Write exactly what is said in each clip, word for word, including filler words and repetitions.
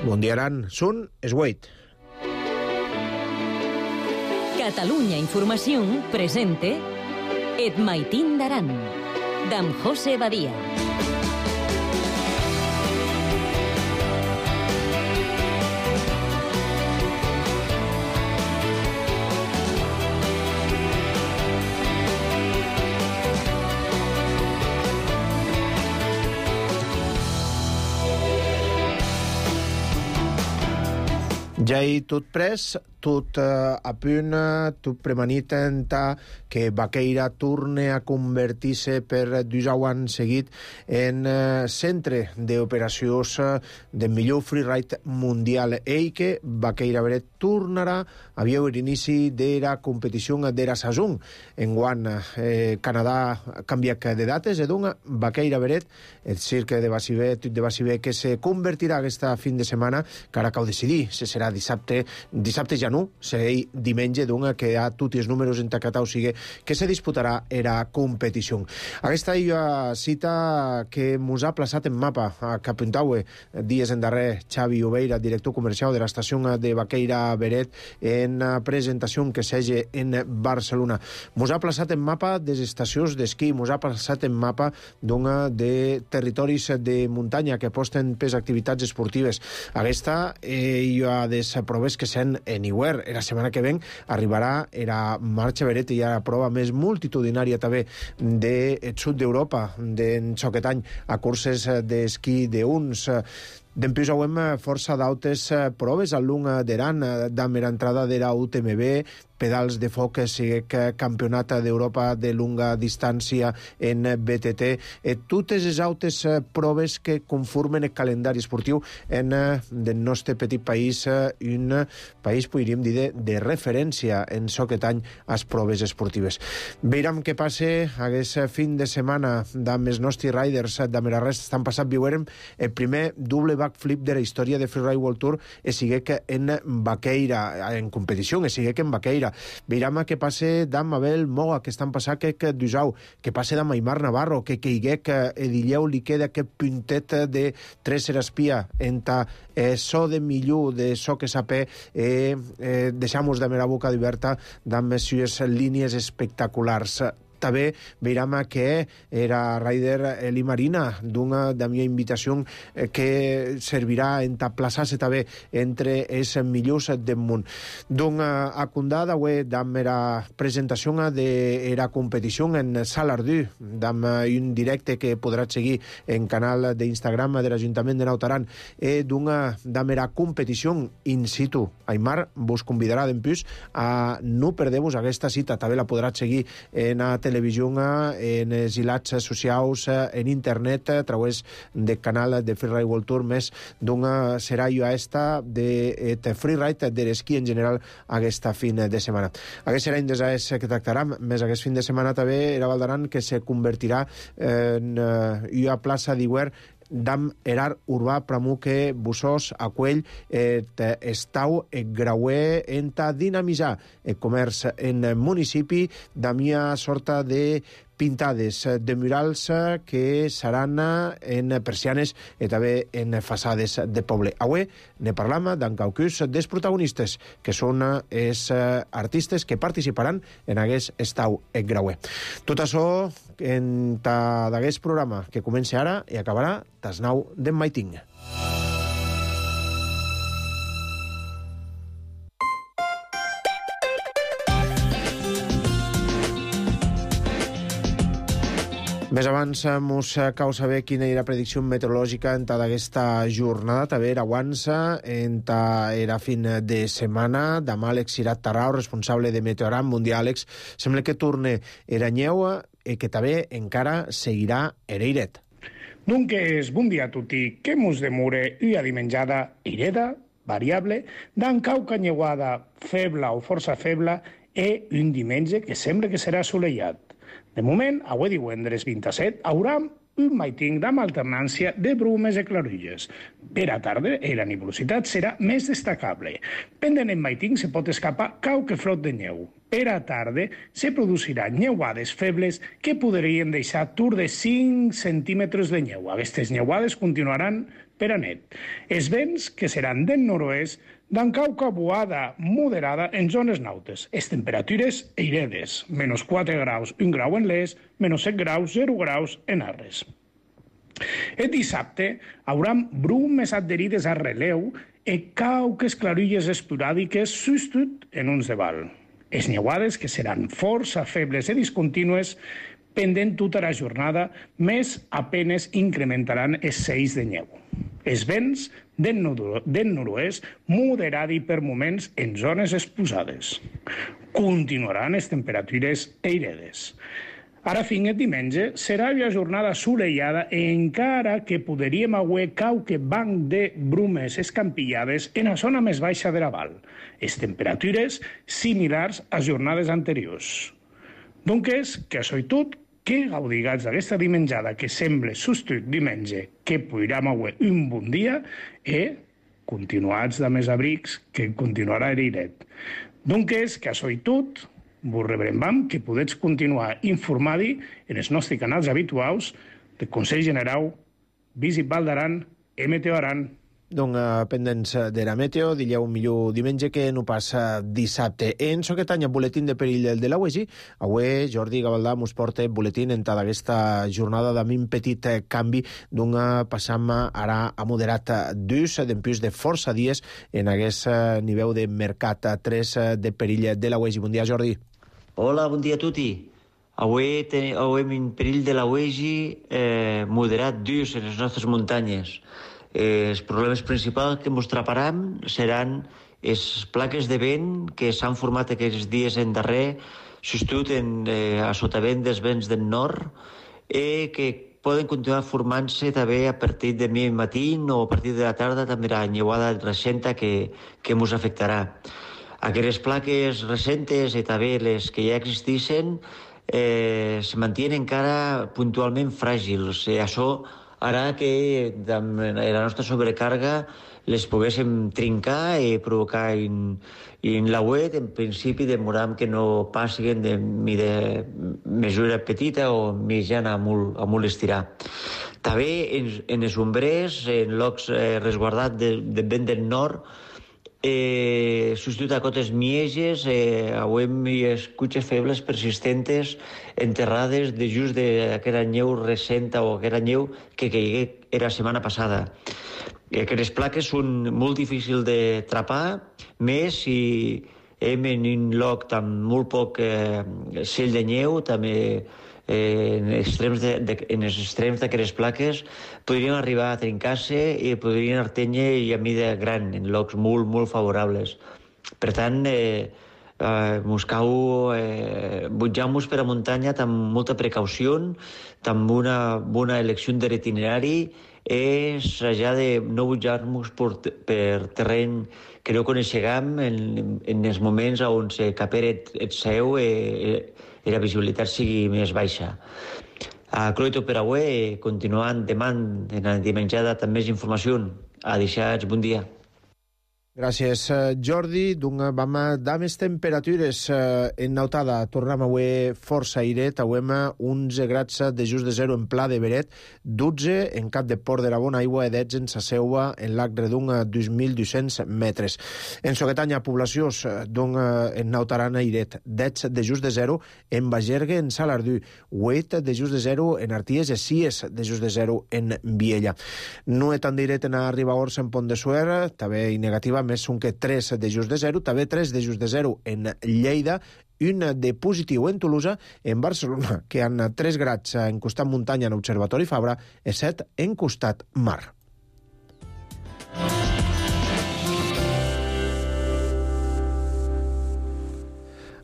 Mundiaran Sun Esweit. Catalunya Informació presente Et Maitín d'Aran, d'en José Badia. Ja hi tot pres, tot uh, a punt, tot premanit que Baqueira torne a convertir-se per deu anys seguit en uh, centre d'operacions uh, del millor freeride mundial. Ell que Baqueira Beret tornarà a veure l'inici de la competició de la saison. Enguany, eh, Canadà canvia de dates, i doncs Baqueira Beret, el cirque de Baciver, de Baciver, que se convertirà aquesta fin de setmana, que ara cal decidir si serà dissabte, dissabte ja no, serà diumenge, doncs, que hi ha tots els números entacats, o sigui, que se disputarà la competició. Aquesta és la cita que ens ha plaçat en mapa a Capuntaue, dies en darrer, Xavi Oveira, director comercial de l'estació de Baqueira Beret, en presentació que s'hagi en Barcelona. Ens ha plaçat en mapa des estacions d'esquí, ens ha plaçat en mapa doncs, de territoris de muntanya que aposten per activitats esportives. Aquesta eh, hi ha des proves que s'han en Iwer. La setmana que ven arribarà la marxa Beret i la prova més multitudinària també del sud d'Europa, d'en Xoquetany, a curses d'esquí d'uns. Dempués hauem força d'autes proves al lung d'Aran, damb era entrada de la U T M B, pedals de foc, siguec campionat d'Europa de lunga distància en B T T, e totes les autes proves que conformen el calendari esportiu en el nostre petit país, un país, podríem dir, de, de referència en Xoquetany a les proves esportives. Veurem què passa aquest fin de setmana amb els nostres riders de Merarrest. Estan passat, viurem el primer doble backflip de la història de Freeride World Tour, e siguec en Baqueira, en competició, e siguec en Baqueira. Veurem què passa d'en Mabel Moga, que estan passant que d'Usau, que passa d'en Aimar Navarro, que caiguec Edilleu li queda aquest puntet de tres espia enta eh, so de millor de so que sapé, eh, eh, deixamos de mera boca diverta d'en messieurs línies espectaculars. També veurem que era rider Eli Marina, d'una de mi invitació que servirà en plaçar-se també entre els millors del món. Donc, a Condada, avui, amb la presentació de la competició en Salardú, amb un directe que podrà seguir en canal d'Instagram de l'Ajuntament de Nautaran, i d'una amb la competició in situ. Aimar vos convidarà d'empús a no perdeu-vos aquesta cita. També la podrà seguir en la televisió, en els hilats socials, en internet, a través del canal de Freeride World Tour, més d'una serà jo esta de freeride, de l'esquí en general, aquesta fin de setmana. Aquest serà un dels que tractarem, més aquest fin de setmana també era Valdaran, que se convertirà en una plaça d'Iwer d'am erar urbà pramuque Bussós, Aquell, et estau et grauer enta dinamitzar el comerç en municipi d'amia sorta de pintades de murals que seran en persianes i també en façades de poble. Avui ne parlam d'en caucus dels protagonistes, que són els artistes que participaran en aquest estau et grauer. Tot això en d'aquest programa que comença ara i acabarà tas nau d'en Maiting. Més abans mos cal saber quina era la predicció meteorològica en aquesta jornada. També era avança en era fin de setmana d'amb Àlex Irat Tarrau, responsable de Meteoram Mundial. Àlex, sembla que torne era nyeu i que també encara seguirà ereiret. Dunques, bon dia a tutti. Que mos demure una dimenjada ireda, variable, d'en cauca nyeuada febla o força febla i un diumenge que sembla que serà assolellat. De moment, avui divendres vint-i-set, haurem un maiting amb alternància de brumes i clarulles. Per a tarda, la nuvolositat serà més destacable. Pendent en maiting se pot escapar cauque flot de neu. Per a tarda se produciran neuades febles que podrien deixar tur de cinc centímetres de neu. Aquestes neuades continuaran per a net. Els vents, que seran del nord-oest, d'encauca boada moderada en zones nautes. Les temperatures eiredes, menys quatre graus, un grau en l'est, menys set graus, zero graus en Arres. El dissabte haurà brumes adherides a releu i cauques clarilles esporàdiques substitut en uns de val. Les neuades, que seran força febles i discontínues, pendent tota la jornada, més apenes incrementaran els seis de neu. Els vents del nord-oest moderat i per moments en zones exposades. Continuaran les temperatures eiredes. Ara fins el diumenge serà una jornada assolellada encara que podríem haver qualque banc de brumes escampillades en la zona més baixa de la val. Les temperatures similars a jornades anteriors. Doncs que això i tot, que gaudigats d'aquesta dimenjada que sembla substitut diumenge, que podríem haver un bon dia, i continuats de més abrics, que continuarà l'airet. Doncs que això i tot, vos rebrem que podeu continuar informant en els nostres canals habituals del Consell General, Visit Val d'Aran i Meteo Aran. Donc, uh, pendents de la meteo, dileu millor diumenge que no passa dissabte. En so que tanya boletín de perill de la U E G I, avui Jordi Gavaldà mos porta boletín en tota aquesta jornada d'ami un petit canvi d'un passam ara a moderat d'ús, d'empús de força dies en aquest nivell de mercat tres de perill de la U E G I. Bon dia, Jordi. Hola, bon dia a tutti. Avui tenim un perill de la U E G I eh, moderat d'ús en les nostres muntanyes. Eh, els problemes principals que ens traparam seran les plaques de vent que s'han format aquests dies en darrer, substitut en, eh, a sotavent dels vents del nord, i que poden continuar formant-se també a partir de mi matí o a partir de la tarda, també la neuada recenta que, que ens afectarà. Aquestes plaques recentes i també les que ja existeixen eh, se mantenen encara puntualment fràgils. Eh, això ara que amb la nostra sobrecàrrega les poguéssim trincar i provocar en, en la web, en principi demoram que no passin de, de mesura petita o mitjana a molt, a molt estirar. També en, en els ombrers, en llocs eh, resguardats de, de vent del nord, Eh, substitut a cotes mieges, eh, avem escutxes febles persistentes enterrades de just d'aquella neu recenta o aquella neu que caigué era la setmana passada. Aquestes plaques són molt difícils de trapar, més si hem en un lloc amb molt poc eh, cell de neu, també eh, en, extrems de, de, en els extrems d'aquestes plaques podrien arribar a trencar-se i podrien artenyer i a mida gran en llocs molt, molt favorables. Per tant, eh, eh, mos cau eh, butjar-nos per a muntanya amb molta precaució, amb una bona elecció de l'itinerari, és ja de no butjar-nos per, per terreny que no coneixem en, en els moments on se capera et, et seu i, i la visibilitat sigui més baixa. A Cloito per avui, continuant demà en la dimenjada amb més informació. Adeixats, bon dia. Gràcies, Jordi. Doncs vam dar més temperatures en Nautada. Tornem avui força airet. Avui onze graus de just de zero en Pla de Beret, dotze en Cap de Port de la Bona Aigua i dotze en Saseua, en Lac Redung, a dos mil dos-cents metres. En Soquetanya, poblacions, doncs en Nautaran airet, dotze de just de zero en Bagergue, en Salardú, vuit de just de zero en Arties i sis de just de zero en Viella. No és tan d'airet en Ribagorça, en Pont de Suert, també i negativa, més són que tres de just de zero, també tres de just de zero en Lleida, un de positiu en Tolosa, en Barcelona, que han tres graus en costat muntanya en Observatori Fabra i set en costat mar.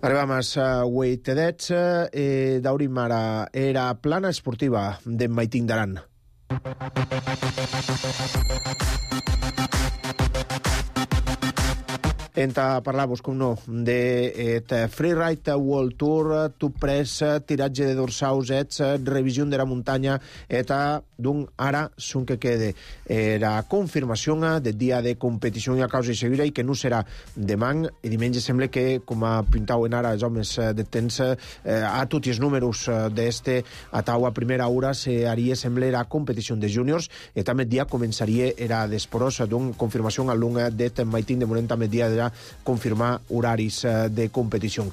Arribam a vuit edets, eh, daurim ara era plana esportiva d'en Maitín d'Aran. Enta parlar-vos, com no, de et Freeride World Tour, tu pres, tiratge de dorsaus, ets, revisió de la muntanya, eta d'un ara sun que quede era confirmació de dia de competició a causa i seguida i que no serà demà i diumenge. Sembla que, com a pintauen ara els homes de temps, eh, a tots els números d'este a tau a primera hora se haria, sembla, la competició de júniors i també dia començaria era d'esporos d'un confirmació al lung d'et Maitín de moment també dia de confirmar horaris de competició.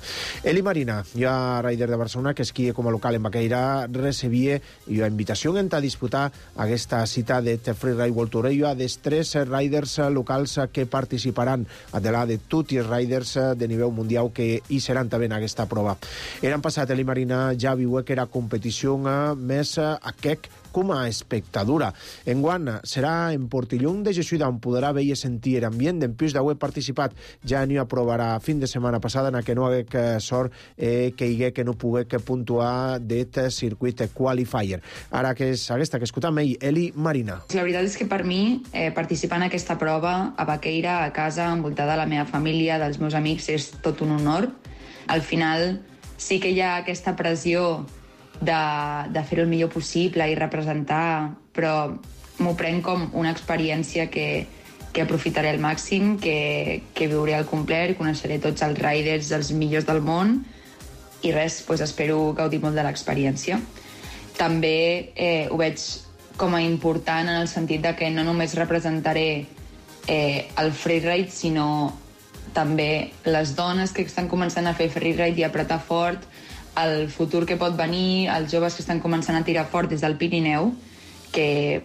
Eli Marina, ja rider de Barcelona, que esquia com a local en Baqueira, recebia la invitació a disputar aquesta cita de Freeride World Tour. Hi ha dels tres riders locals que participaran a de la de tots els riders de nivell mundial que hi seran també en aquesta prova. L'any passat Eli Marina ja viu que era competició més aquest com a espectadora. Enguany serà en Portillón de Jesús on podrà veure i sentir l'ambient. Després d'haver participat ja n'hi aprovarà fin de setmana passada en què no hagué sort eh, que hi hagué que no pogué que puntuar d'et circuit qualifier. Ara que és aquesta que escoltam ell, Eli Marina. La veritat és que per mi eh, participar en aquesta prova a Baqueira, a casa, envoltada de la meva família, dels meus amics, és tot un honor. Al final sí que hi ha aquesta pressió de, de fer-ho el millor possible i representar, però m'ho prenc com una experiència que, que aprofitaré al màxim, que, que viuré al complet, coneixeré tots els riders, els millors del món, i res, doncs espero gaudir molt de l'experiència. També eh, ho veig com a important en el sentit de que no només representaré eh, el freeride, sinó també les dones que estan començant a fer freeride i a apretar fort, el futur que pot venir, els joves que estan començant a tirar fort des del Pirineu, que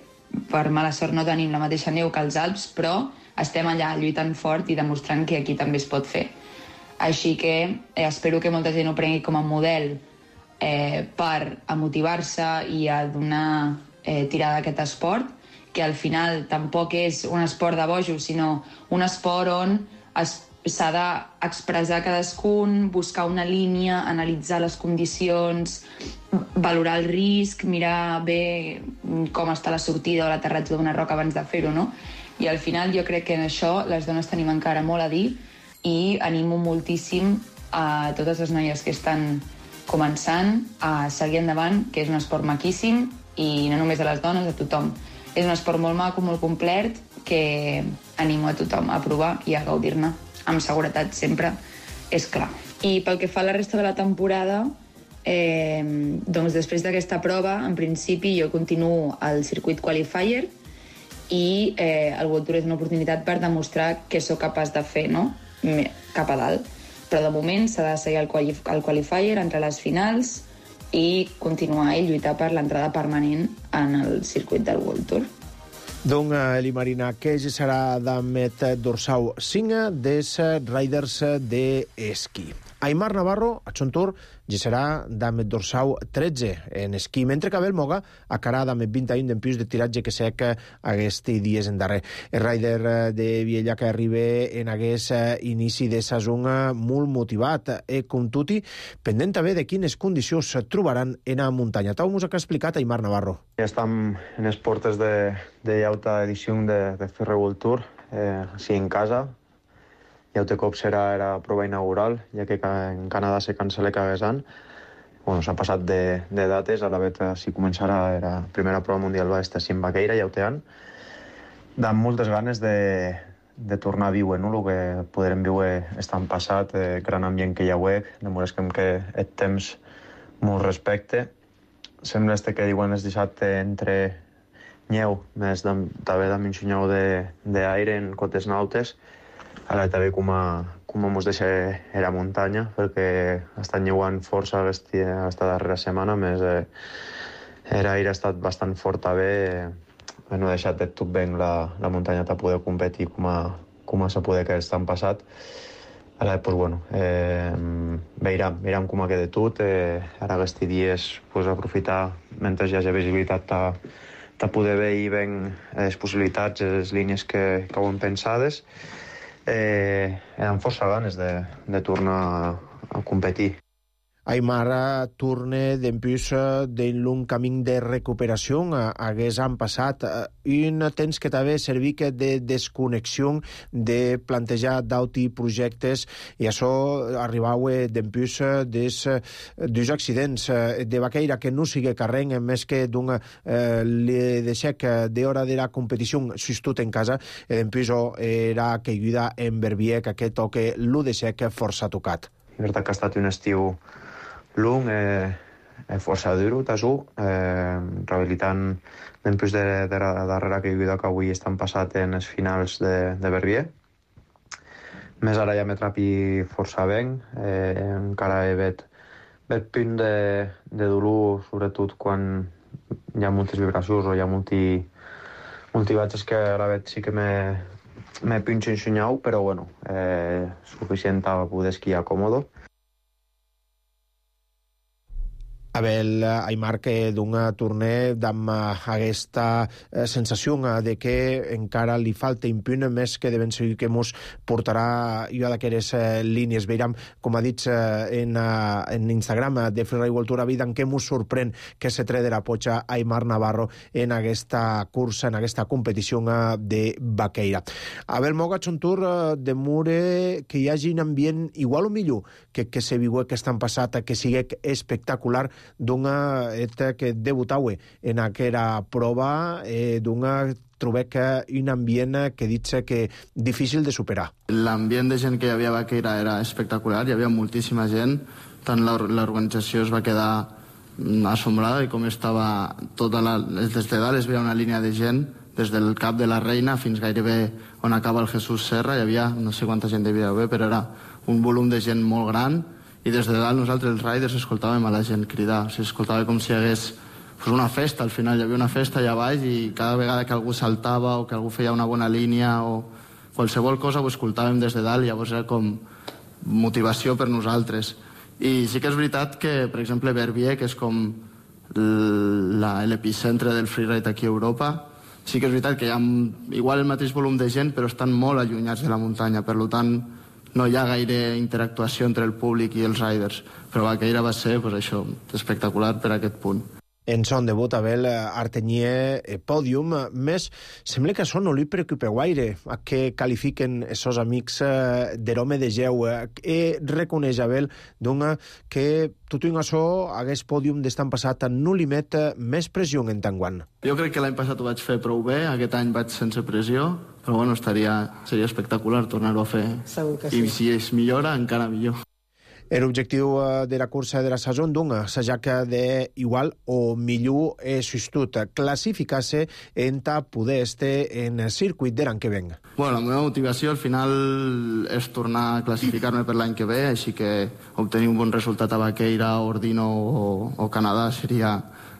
per mala sort no tenim la mateixa neu que els Alps, però estem allà lluitant fort i demostrant que aquí també es pot fer. Així que eh, espero que molta gent ho prengui com a model eh, per a motivar-se i a donar eh, tirada a aquest esport, que al final tampoc és un esport de bojos, sinó un esport on es s'ha d'expressar cadascun, buscar una línia, analitzar les condicions, valorar el risc, mirar bé com està la sortida o l'aterratge d'una roca abans de fer-ho, no? I al final jo crec que en això les dones tenim encara molt a dir i animo moltíssim a totes les noies que estan començant a seguir endavant, que és un esport maquíssim i no només a les dones, a tothom. És un esport molt maco, molt complet, que animo a tothom a provar i a gaudir-ne. Amb seguretat sempre, és clar. I pel que fa a la resta de la temporada, eh, doncs després d'aquesta prova, en principi jo continuo al circuit qualifier i eh, el World Tour és una oportunitat per demostrar què sóc capaç de fer, no? Cap a dalt. Però de moment s'ha de seguir el, quali el qualifier, entre les finals i continuar i lluitar per l'entrada permanent en el circuit del World Tour. Donc, Eli Marina, que ja serà d'Amet Dorsau cinc des riders d'esquí. Aimar Navarro, a Chontur, ja serà d'Amet Dorsau tretze en esquí, mentre que Abel Moga acarà d'Amet vint i un d'empius de tiratge que sec aquests dies en darrer. El rider de Viella que arriba en aquest inici de saison molt motivat i com tutti, pendent també de quines condicions es trobaran en la muntanya. Tal com ha explicat Aimar Navarro. Ja estem en les portes de, de l'altra edició de, de Freeride World Tour, eh, així en casa. I altre cop serà la prova inaugural, ja que en Canadà se cancela cada any. Bueno, s'ha passat de, de dates, a la vegada si començarà la primera prova mundial va estar en Baqueira, ja ho tenen. Amb moltes ganes de, de tornar a viure, no? El que podrem viure estan passat, eh, gran ambient que hi ha hagut, demostra que el temps molt respecte. Sembla este que diuen el dissabte entre nyeu, més també amb un xunyau d'aire en cotes nautes. Ara també com a, com a mos deixa a la muntanya, perquè estan lleuant força aquesta darrera setmana, més eh, l'aire ha estat bastant fort també, eh, no ha deixat de tot ben la, la muntanya per poder competir com a, com a se poder que estan passat. Ara, doncs, bueno, eh, veurem, veurem com ha quedat tot. Eh, ara aquests dies pues, aprofitar, mentre hi hagi visibilitat, de poder veure ben les possibilitats, les línies que, que ho hem pensades. Eh, amb força ganes de, de tornar a, a competir. Aimar torna dempús d'un camí de recuperació. Hagués han passat un temps que també servir de desconnexió, de plantejar d'auti projectes, i això arribau dempús des dos accidents de vaqueira que no sigue carreng, més que d'un eh, li deixec d'hora de la competició sustut en casa, i dempús era caiguda en Verbier, que aquest toque l'u deixec força tocat. És veritat que ha estat un estiu lung, eh, eh, força dur, tasú, eh, rehabilitant després de, de la darrera caiguda que avui estan passat en els finals de, de Verbier. Més ara ja m'he trapi força ben, eh, encara he vet, vet punt de, de dolor, sobretot quan hi ha moltes vibracions o hi ha multi, multibatges que ara vet sí que m'he, m'he punt ensenyau, però bueno, eh, suficient a poder esquiar còmodo. Abel Aimar, que d'un torneig amb aquesta sensació de que encara li falta impunt, més que de ben segur que mos portarà jo d'aquestes línies. Veiem, com ha dit en, en Instagram de Freeride World Tour, en què mos sorprèn que se tre de la potxa Aimar Navarro en aquesta cursa, en aquesta competició de vaqueira. Abel, Mogats un tour de mure que hi hagi un ambient igual o millor que, que se viu que estan passat, que sigui espectacular, d'una eta que debutau en aquella prova, eh, d'una trobé que un ambient que dit que difícil de superar. L'ambient de gent que hi havia a Vaqueira era espectacular, hi havia moltíssima gent, tant l'organització es va quedar assombrada i com estava tota la, des de dalt es veia una línia de gent des del cap de la Reina fins gairebé on acaba el Jesús Serra, hi havia, no sé quanta gent devia haver, però era un volum de gent molt gran, i des de dalt nosaltres, els riders, escoltàvem a la gent cridar. O sigui, escoltava com si hi hagués pues, una festa, al final hi havia una festa allà baix i cada vegada que algú saltava o que algú feia una bona línia o qualsevol cosa ho escoltàvem des de dalt i llavors era com motivació per nosaltres. I sí que és veritat que, per exemple, Verbier, que és com l'epicentre del freeride aquí a Europa, sí que és veritat que hi ha igual el mateix volum de gent però estan molt allunyats de la muntanya, per tant no hi ha gaire interactuació entre el públic i els riders, però Vaqueira va ser pues, això, espectacular per aquest punt. En son debut, Abel Artenyer eh, pòdium, més sembla que això no li preocupa gaire a què qualifiquen els amics eh, de l'home de Geu. Eh, reconeix, Abel, dona que tot i això hagués pòdium d'estan passat no li met més pressió en tant guant. Jo crec que l'any passat ho vaig fer prou bé, aquest any vaig sense pressió, però bueno, estaria, seria espectacular tornar-ho a fer. Segur que sí. I si es millora, encara millor. L'objectiu de la cursa de la saison d'un s'ajac d'igual o millor sustut, classificar-se en ta poder estar en el circuit de l'any que ven. Bueno, la meva motivació al final és tornar a classificar-me per l'any que ve, així que obtenir un bon resultat a Vaqueira, Ordino o, o Canadà seria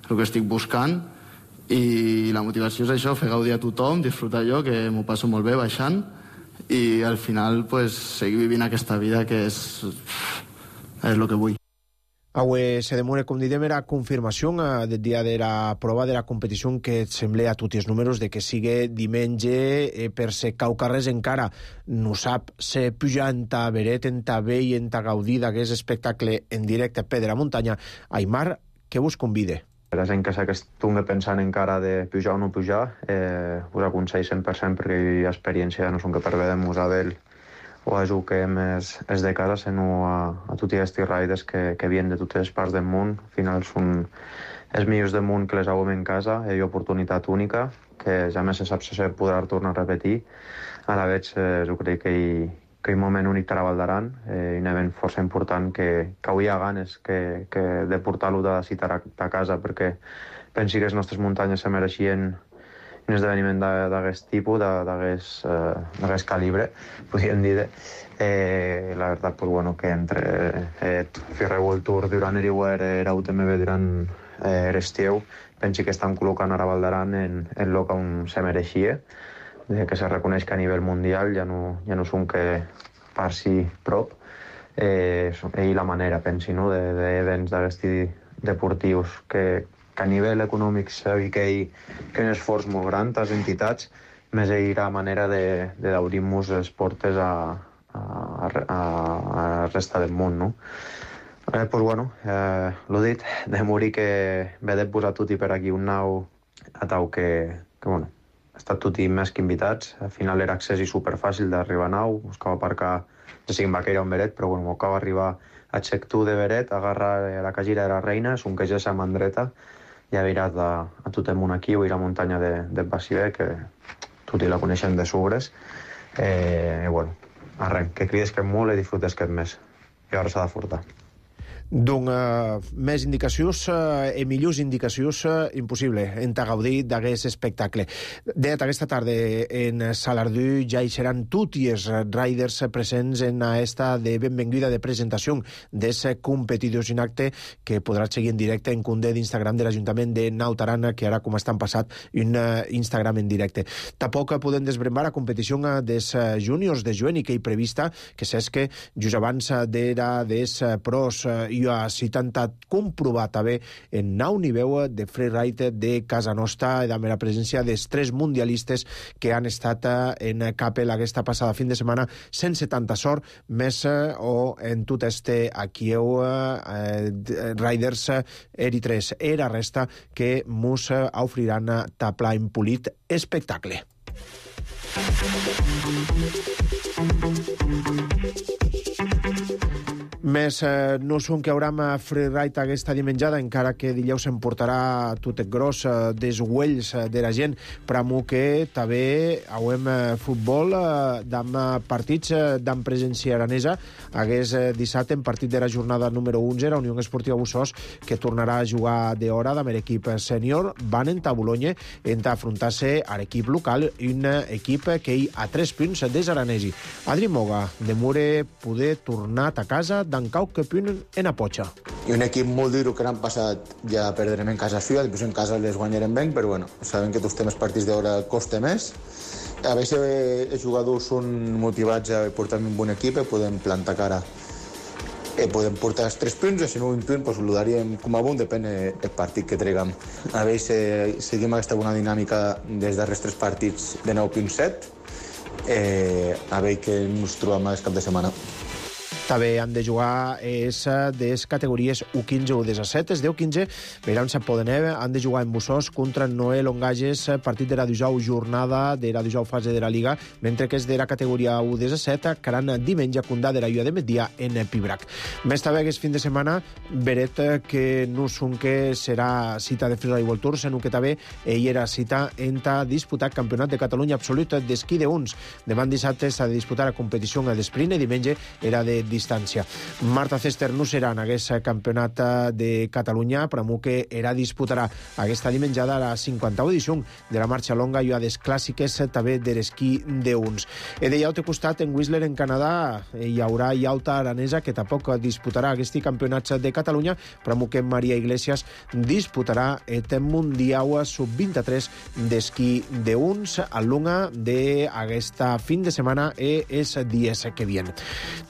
el que estic buscant. I la motivació és això, fer gaudir a tothom, disfrutar jo, que m'ho passo molt bé baixant, i al final pues, seguir vivint aquesta vida que és, és el que vull. Avui se demora, com diem, era confirmació del dia de la prova de la competició que sembla a tots els números de que sigui diumenge eh, per ser caucarres encara no sap se pujar en ta veret, en ta ve i en ta gaudir d'aquest espectacle en directe per de la muntanya. Aimar, què vos convide? Per la gent que s'acostumi pensant encara de pujar o no pujar, eh, us aconsello cent per cent perquè hi ha experiència, no són que per bé de Musabel o a juguem és, és de casa, sinó a, a tots els riders que, que vienen de totes les parts del món. Al final són els millors del món que les haguem en casa, hi ha oportunitat única, que ja més se sap si se podrà tornar a repetir. A la vegada, eh, jo crec que hi, que hi ha un moment únic per a Valdaran, eh, un event força important que, que avui hi ha ganes que, que de portar-lo de citar a, a casa, perquè pensi que les nostres muntanyes se mereixien un esdeveniment d'aquest tipus, d'aquest eh, calibre, podríem dir. Eh, la veritat, pues, bueno, que entre eh, Freeride World Tour durant l'Eriwer era U T M B durant eh, l'estiu, pensi que estan col·locant ara Valdaran en el lloc on se mereixia, de que se reconeix que a nivell mundial ja no, ja no són que per si prop, eh, i la manera, pensi, no?, d'events d'aquests deportius que, que a nivell econòmic sabi que hi ha un esforç molt gran a les entitats, més hi ha manera d'obrir-nos les portes a, a, a, a resta del món, no? Eh, pues bueno, eh, l'ho dit, de morir que vedem posar tutti per aquí un nau a tau que, que bueno, ha estat tutti més que invitats. Al final era accés i superfàcil d'arribar a nau, us cau aparcar, ja sigui en Baqueira o en Beret, però bueno, m'ho cau arribar a Xectú de Beret, agarrar la cagira de la reina, és un que ja s'ha mandreta, i ha virat a, a totem un aquí, o ir a muntanya de, de Baciver, que tutti la coneixem de Sugres. Eh, i bueno, arrenc, que crides que molt i disfrutes que et més. I ara s'ha de furtar. Doncs uh, més indicacions uh, i millors indicacions uh, impossible en gaudir d'aquest espectacle. Det aquesta tarda en Salardú ja hi seran tots els riders presents en esta de benvinguda de presentació d'aquest competidors en acte que podràs seguir en directe en compte d'Instagram de l'Ajuntament de Naut Aran, que ara com estan passat un uh, Instagram en directe. Tampoc podem desbrembar a competició uh, dels uh, júniors de Joeni que hi prevista, que saps que just abans d'era dels uh, pros uh, i a citat comprovat també en nau niveu de freeride de casa nostra i amb la presència dels tres mundialistes que han estat en Capel aquesta passada fin de setmana sense tanta sort, més o en tot este aquí eh, riders eritres. Era resta que mos ofriran tapla en polit espectacle. Més eh, no són que hauram freeride aquesta dimenjada, encara que dilluns se'n portarà tot el gros eh, des uells eh, de la gent, però que també hauem eh, futbol eh, d'am partits eh, d'am presència aranesa. Hagués eh, dissabte en partit de la jornada número onze, la Unió Esportiva Bussós, que tornarà a jugar d'hora amb l'equip sènior, van entrar a Boulogne en afrontar-se a l'equip local, un equip que hi ha tres punts des aranesi. Adri Moga, de Mure, poder tornar a casa d'en cau que punt en Apotxa. I un equip molt dur que l'han passat ja perdrem en casa suya, després en casa les guanyarem ben, però bueno, sabem que tots temes partits d'hora costa més. A veure els jugadors són motivats a portar un bon equip, podem plantar cara, eh, podem portar els tres punts, i si no un punt, doncs ho daríem com a bon, depèn del partit que treguem. A veure si seguim aquesta bona dinàmica des darrers tres partits de nou punt set, eh, a veure què ens trobem aquest cap de setmana. També han de jugar és de les categories U quinze o disset. Els deu quinze veuran se poden han de jugar en Bussós contra Noé Longages, partit de la dijous jornada de la dijous fase de la Liga, mentre que és de la categoria U disset caran diumenge a Condà de la Llua de Metdia en Pibrac. Més també aquest fin de setmana Beret, que no són que serà cita de Freeride World Tour, sinó que també ell era cita en disputar Campionat de Catalunya absolut d'esquí de uns. Demà dissabte s'ha de disputar la competició d'esprint i diumenge era de distància. Marta Cester no serà en aquest campionat de Catalunya, però que era disputarà aquesta dimenjada la cinquantena edició de la marxa longa i a les clàssiques també de l'esquí d'uns. E de l'altre costat, en Whistler, en Canadà, hi haurà Iauta Aranesa, que tampoc disputarà aquest campionat de Catalunya, però que Maria Iglesias disputarà el Mundial sub vint-i-tres d'esquí d'uns a l'una d'aquesta fin de setmana i els dies que vien.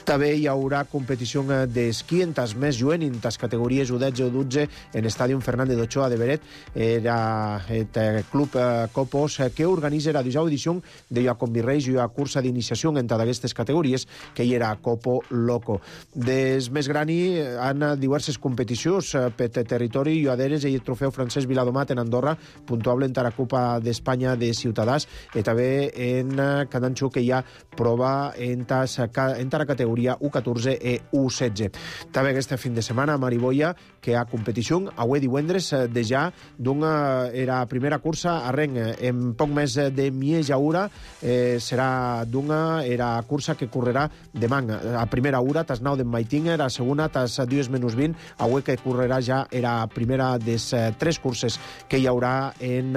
També hi haurà competició d'esquí en tas més juguen en tas categories U dotze o dotze en l'estadi Fernández d'Ochoa de Beret. Era el club Copos que organitza la dijous edició de la Convirreis i la cursa d'iniciació en d'aquestes categories, que hi era Copo Loco. Des més grani han diverses competicions per territori i aderes i el trofeu Francesc Viladomat en Andorra, puntuable en la Copa d'Espanya de Ciutadans, i també en Cadanxo, que hi ha prova en la categoria U catorze i U setze. També aquesta fin de setmana a Mariboia, que hi ha competició avui divendres de ja d'una era primera cursa a Renc en poc més de mitja hora, eh, serà d'una era cursa que correrà demà a primera hora, tas nou d'en Maitinger, a segona tas dues menys vint, avui que correrà ja era primera des tres curses que hi haurà en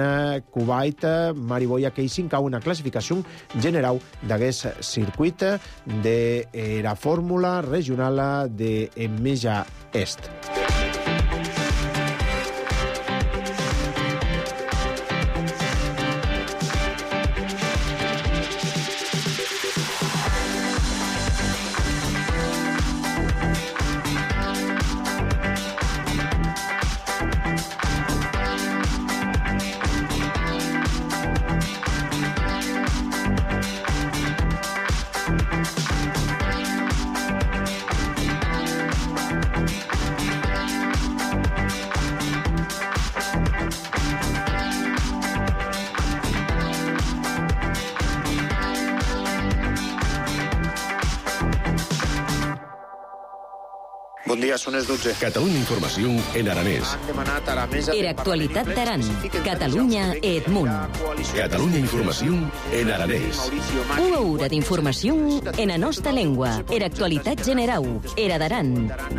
Kuwait, Mariboia, que hi s'incau una classificació general d'aquest circuit de la fórmula regional de Meja Est. Bon dia, són les dotze. Catalunya Informació en aranès. Han demanat a la mesa... Era actualitat d'Aran. Catalunya Edmunt. Catalunya Informació en aranès. Una hora d'informació en la nostra llengua. Era actualitat general. Era d'Aran.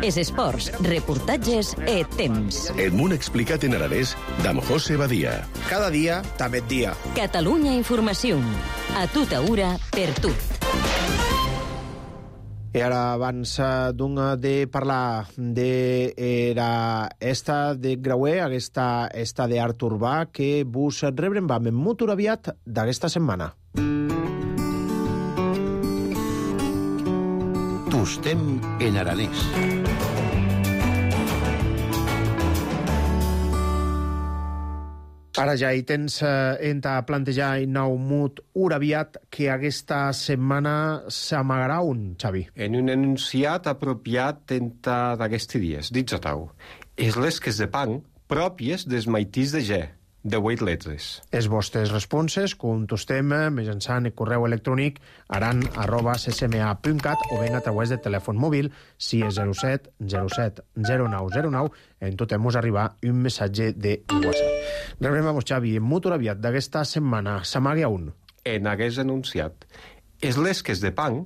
Es esports, reportatges e temps. Edmunt explicat en aranès d'Am José Badia. Cada dia, també dia. Catalunya Informació. A tota hora, per tot. I ara, abans d'un de parlar de era esta de Grauer, aquesta esta d'art urbà, que vos rebrem vam en molt aviat d'aquesta setmana. Tostem en aranès. Ara ja hi tens eh, enta plantejar en nou mut uraviat que aquesta setmana s'amagarà un, Xavi. En un enunciat apropiat enta d'aquesti dies, dits a tau. És les que de pan pròpies des maitís de G, de vuit letres. Els vostres responses contestem mitjançant el correu electrònic aran arroba c c m a punt cat o ben a través de telèfon mòbil si és zero set zero set zero nou zero nou en tot hem arribar un missatge de WhatsApp. Rebrem a vos, Xavi, en molt aviat d'aquesta setmana s'amaga un. En hagués enunciat. És les que de pan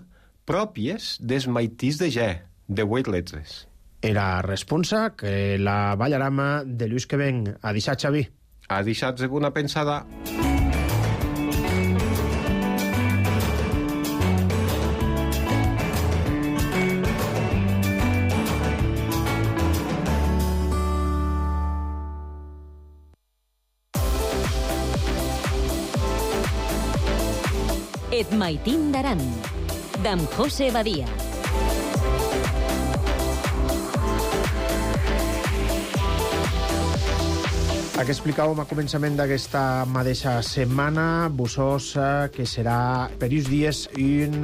pròpies des maitís de G, de vuit letres. Era responsa que la ballarama de Lluís que ven a deixar, Xavi. Ha deixat una pensada. Et maitín d'Aran, d'Am José Badia. El que explicàvem a començament d'aquesta mateixa setmana, Bussós, que serà per uns dies un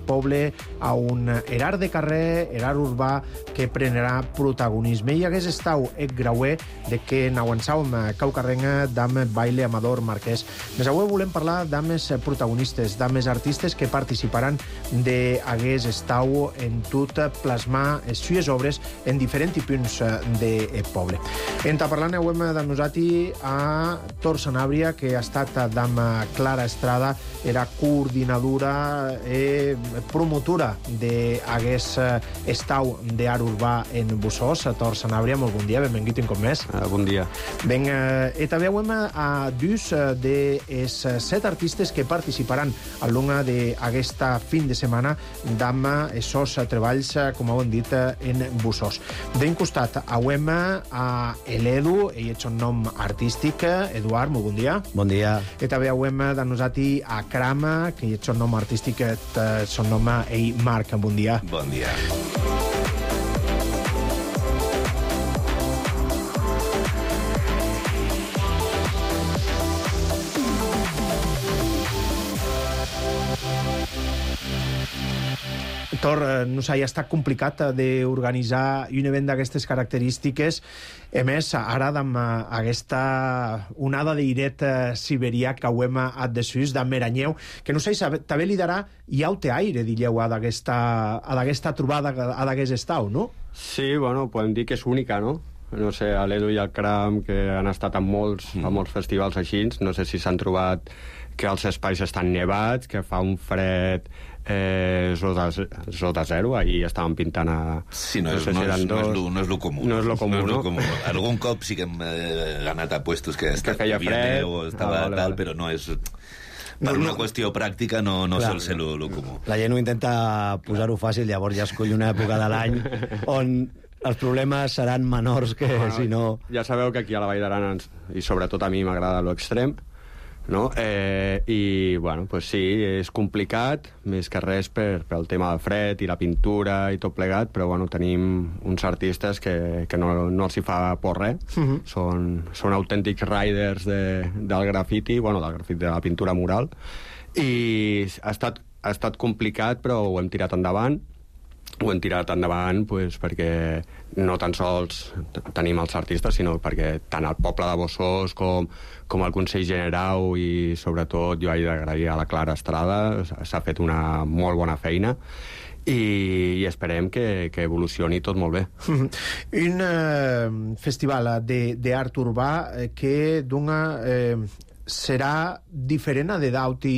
poble a un erar de carrer, erar urbà, que prenderà protagonisme. I hagués estau ec grauer de que n'aguançàvem caucarrenga d'am baile Amador Marquès. Més avui volem parlar d'ames protagonistes, d'ames artistes que participaran d'hagués estau en tot plasmar les seues obres en diferents punts del poble. Enta parlant hem de nosaltres a Tor Sanàbria, que ha estat d'am Clara Estrada, era coordinadora i promotora d'hagués estau d'art urbà en Bussós. A Tor Sanàbria, molt bon dia, benvingut un cop més. Uh, bon dia. Ben, eh, i també hem a dus de els set artistes que participaran a l'una d'aquesta fin de setmana d'am esos treballs, com heu dit, en Bussós. D'un costat, hem a l'Edu, ell és un nom artístic. Eduard, molt bon dia. Bon dia. I també hem de nosaltres a Crama, que és un nom artístic, son nom ell Marc. Bon dia. Bon dia. Tor, no sé, ja està complicat d'organitzar un event d'aquestes característiques. A més, ara amb aquesta onada d'airet siberià que ho hem at de Suís, d'en Meranyeu, que no sé, també li darà iaute aire, dilleu, a d'aquesta trobada, a d'aquest estau, no? Sí, bueno, podem dir que és única, no? No sé, a l'Edu i al Cram, que han estat en molts, mm. a molts festivals així, no sé si s'han trobat que els espais estan nevats, que fa un fred eh, sota, sota zero, ahir estaven pintant a... Sí, no, no, és, no, és, no, és, lo, no és lo comú. No és lo comú, no? És lo comú. Algun cop sí que hem eh, anat a puestos que, que feia fred, o estava ah, vale, tal, vale. Però no és... Per no, una no. qüestió pràctica no, no sol ser lo, lo comú. La gent ho intenta posar-ho fàcil, llavors ja escull una època de l'any on els problemes seran menors que bueno, si no... Ja sabeu que aquí a la Vall d'Aran, i sobretot a mi m'agrada l'extrem, no? Eh, I, bueno, pues sí, és complicat, més que res per, pel tema del fred i la pintura i tot plegat, però, bueno, tenim uns artistes que, que no, no els hi fa por res. Uh-huh. Són, són autèntics riders de, del grafiti, bueno, del grafiti, de la pintura mural, i ha estat, ha estat complicat, però ho hem tirat endavant, ho hem tirat endavant pues, perquè no tan sols tenim els artistes, sinó perquè tant el poble de Bossòst com, com el Consell Generau i sobretot jo he d'agrair a la Clara Estrada, s'ha fet una molt bona feina i, i esperem que, que evolucioni tot molt bé. Un eh, festival d'art urbà que d'una eh, serà diferent a de d'auti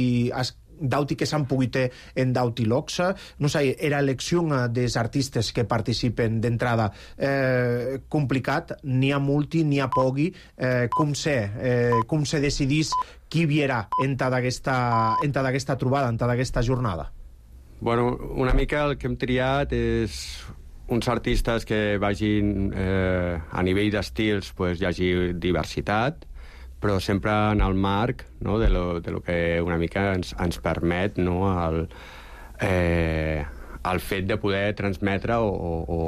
d'auti que s'han pogut en d'auti locs. No sé, era elecció dels artistes que participen d'entrada eh, complicat, n'hi ha multi, n'hi ha pogui, eh, com se, eh, com se decidís qui viera en tota aquesta trobada, en tota aquesta jornada? Bueno, una mica el que hem triat és uns artistes que vagin eh, a nivell d'estils, pues, hi hagi diversitat, però sempre en el marc, no, de, lo, de lo que una mica ens, ens permet, no, el, eh, el fet de poder transmetre o, o,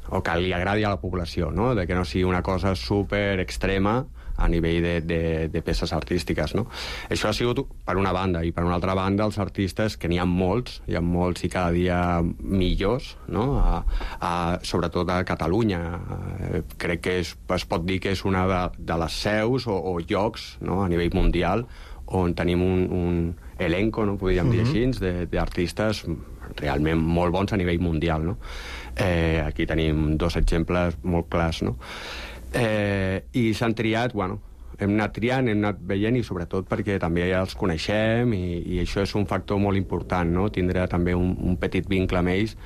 o que li agradi a la població, no? De que no sigui una cosa super extrema a nivell de, de, de peces artístiques, no? Això ha sigut per una banda, i per una altra banda els artistes, que n'hi ha molts, hi ha molts i cada dia millors, no? A, a, sobretot a Catalunya. Eh, crec que és, es pot dir que és una de, de les seus o, o llocs, no? A nivell mundial on tenim un, un elenco, no? Podríem dir així, d'artistes realment molt bons a nivell mundial, no? Eh, aquí tenim dos exemples molt clars, no? Eh, i s'han triat, bueno, hem anat triant, hem anat veient i sobretot perquè també ja els coneixem i, i això és un factor molt important, no? Tindre també un, un petit vincle amb ells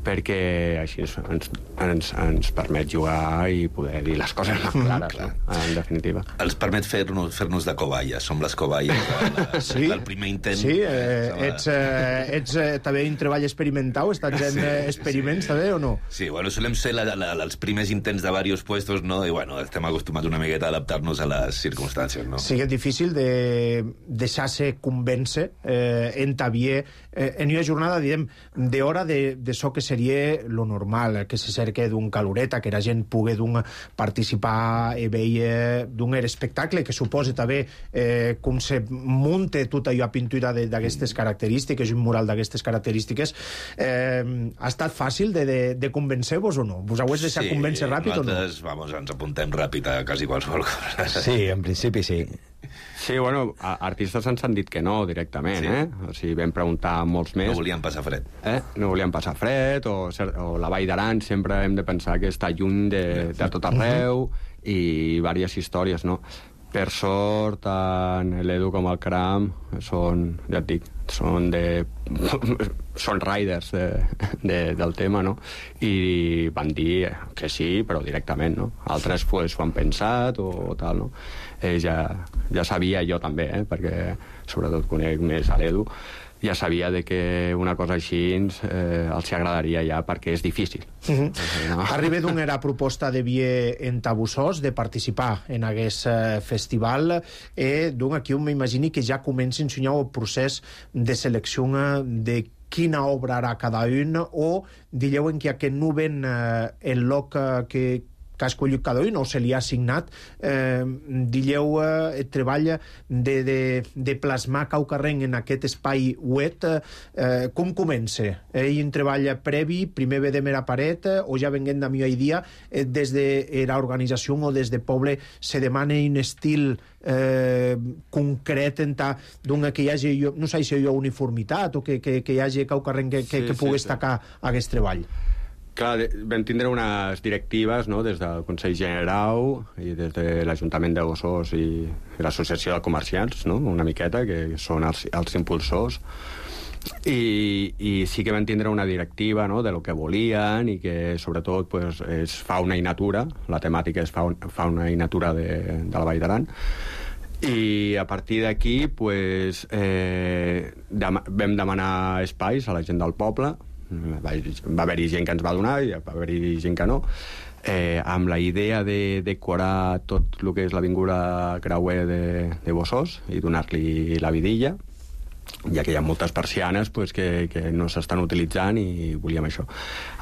perquè així ens, ens, ens permet jugar i poder dir les coses més clares, mm, no? En definitiva. Els permet fer-nos fer-nos de cobaia, som les cobaies de, de, sí, del primer intent. Sí, eh, ets, eh, ets eh, també un treball experimental, estàs en sí, experiments, sí. També, o no? Sí, bueno, solem ser la, la, els primers intents de diversos puestos, no? I bueno, estem acostumats una miqueta a adaptar-nos a les circumstàncies, no? Sí que és difícil de deixar-se convèncer eh, en tabier eh, en una jornada, diguem, d'hora de, de so que seria lo normal, que se cerque d'un caloreta, que la gent pugui d'un participar i veure d'un espectacle, que suposa també eh, com se munta tot allò a pintura d'aquestes característiques, un mural d'aquestes característiques. Eh, ha estat fàcil de, de, de convencer-vos o no? Vos heu deixat sí, convèncer ràpid o no? Sí, vamos, ens apuntem ràpid a quasi qualsevol cosa. Sí, en principi sí. Sí, bueno, artistes ens han dit que no directament, sí. eh? O sigui, vam preguntar molts més. No volien passar fred. Eh? No volien passar fred, o, o la Vall d'Aran sempre hem de pensar que està lluny de, de tot arreu, i diverses històries, no? Per sort, tant l'Edu com el Caram són, ja et dic, són de... són riders de, de, del tema, no? I van dir que sí, però directament, no? Altres pues, ho han pensat o, o tal, no? Eh, ja, ja sabia jo també, eh? Perquè sobretot conec més a l'Edu, ja sabia de que una cosa així eh, els agradaria ja, perquè és difícil. Uh-huh. No? Arriba d'una era proposta de vie en Bossòst de participar en aquest eh, festival, eh, d'un aquí on m'imagini que ja comença a ensenyar el procés de selecció de quina obra harà cada un, o digueu en que aquest no ven eh, el lloc eh, que que ha escollit cada un o se li ha assignat, eh, digueu eh, el treball de, de, de plasmar Caucarrenc en aquest espai web, eh, com comença? Ell un treball previ, primer ve de mera paret, eh, o ja venguent de millor dia, eh, des de l'organització o des de poble se demana un estil eh, concret en ta, doncs que hi hagi, no sé si hi ha uniformitat o que, que, que hi hagi Caucarrenc que, que, sí, que pugui sí, destacar sí. aquest treball. Clar, vam tindre unes directives, no?, des del Consell Generau i des de l'Ajuntament de Bossòst i l'Associació de Comerciants, no?, una miqueta, que són els, els impulsors, i, i sí que vam tindre una directiva, no?, de lo que volien i que sobretot pues, és fauna i natura, la temàtica és fauna, fauna i natura de, de la Vall d'Aran, i a partir d'aquí pues, eh, dem vam demanar espais a la gent del poble. Va, va haver-hi gent que ens va donar i va haver-hi gent que no, eh, amb la idea de decorar tot el que és l'avinguda creuer de, de Bossòst i donar-li la vidilla, ja que hi ha moltes persianes pues, que, que no s'estan utilitzant i volíem això.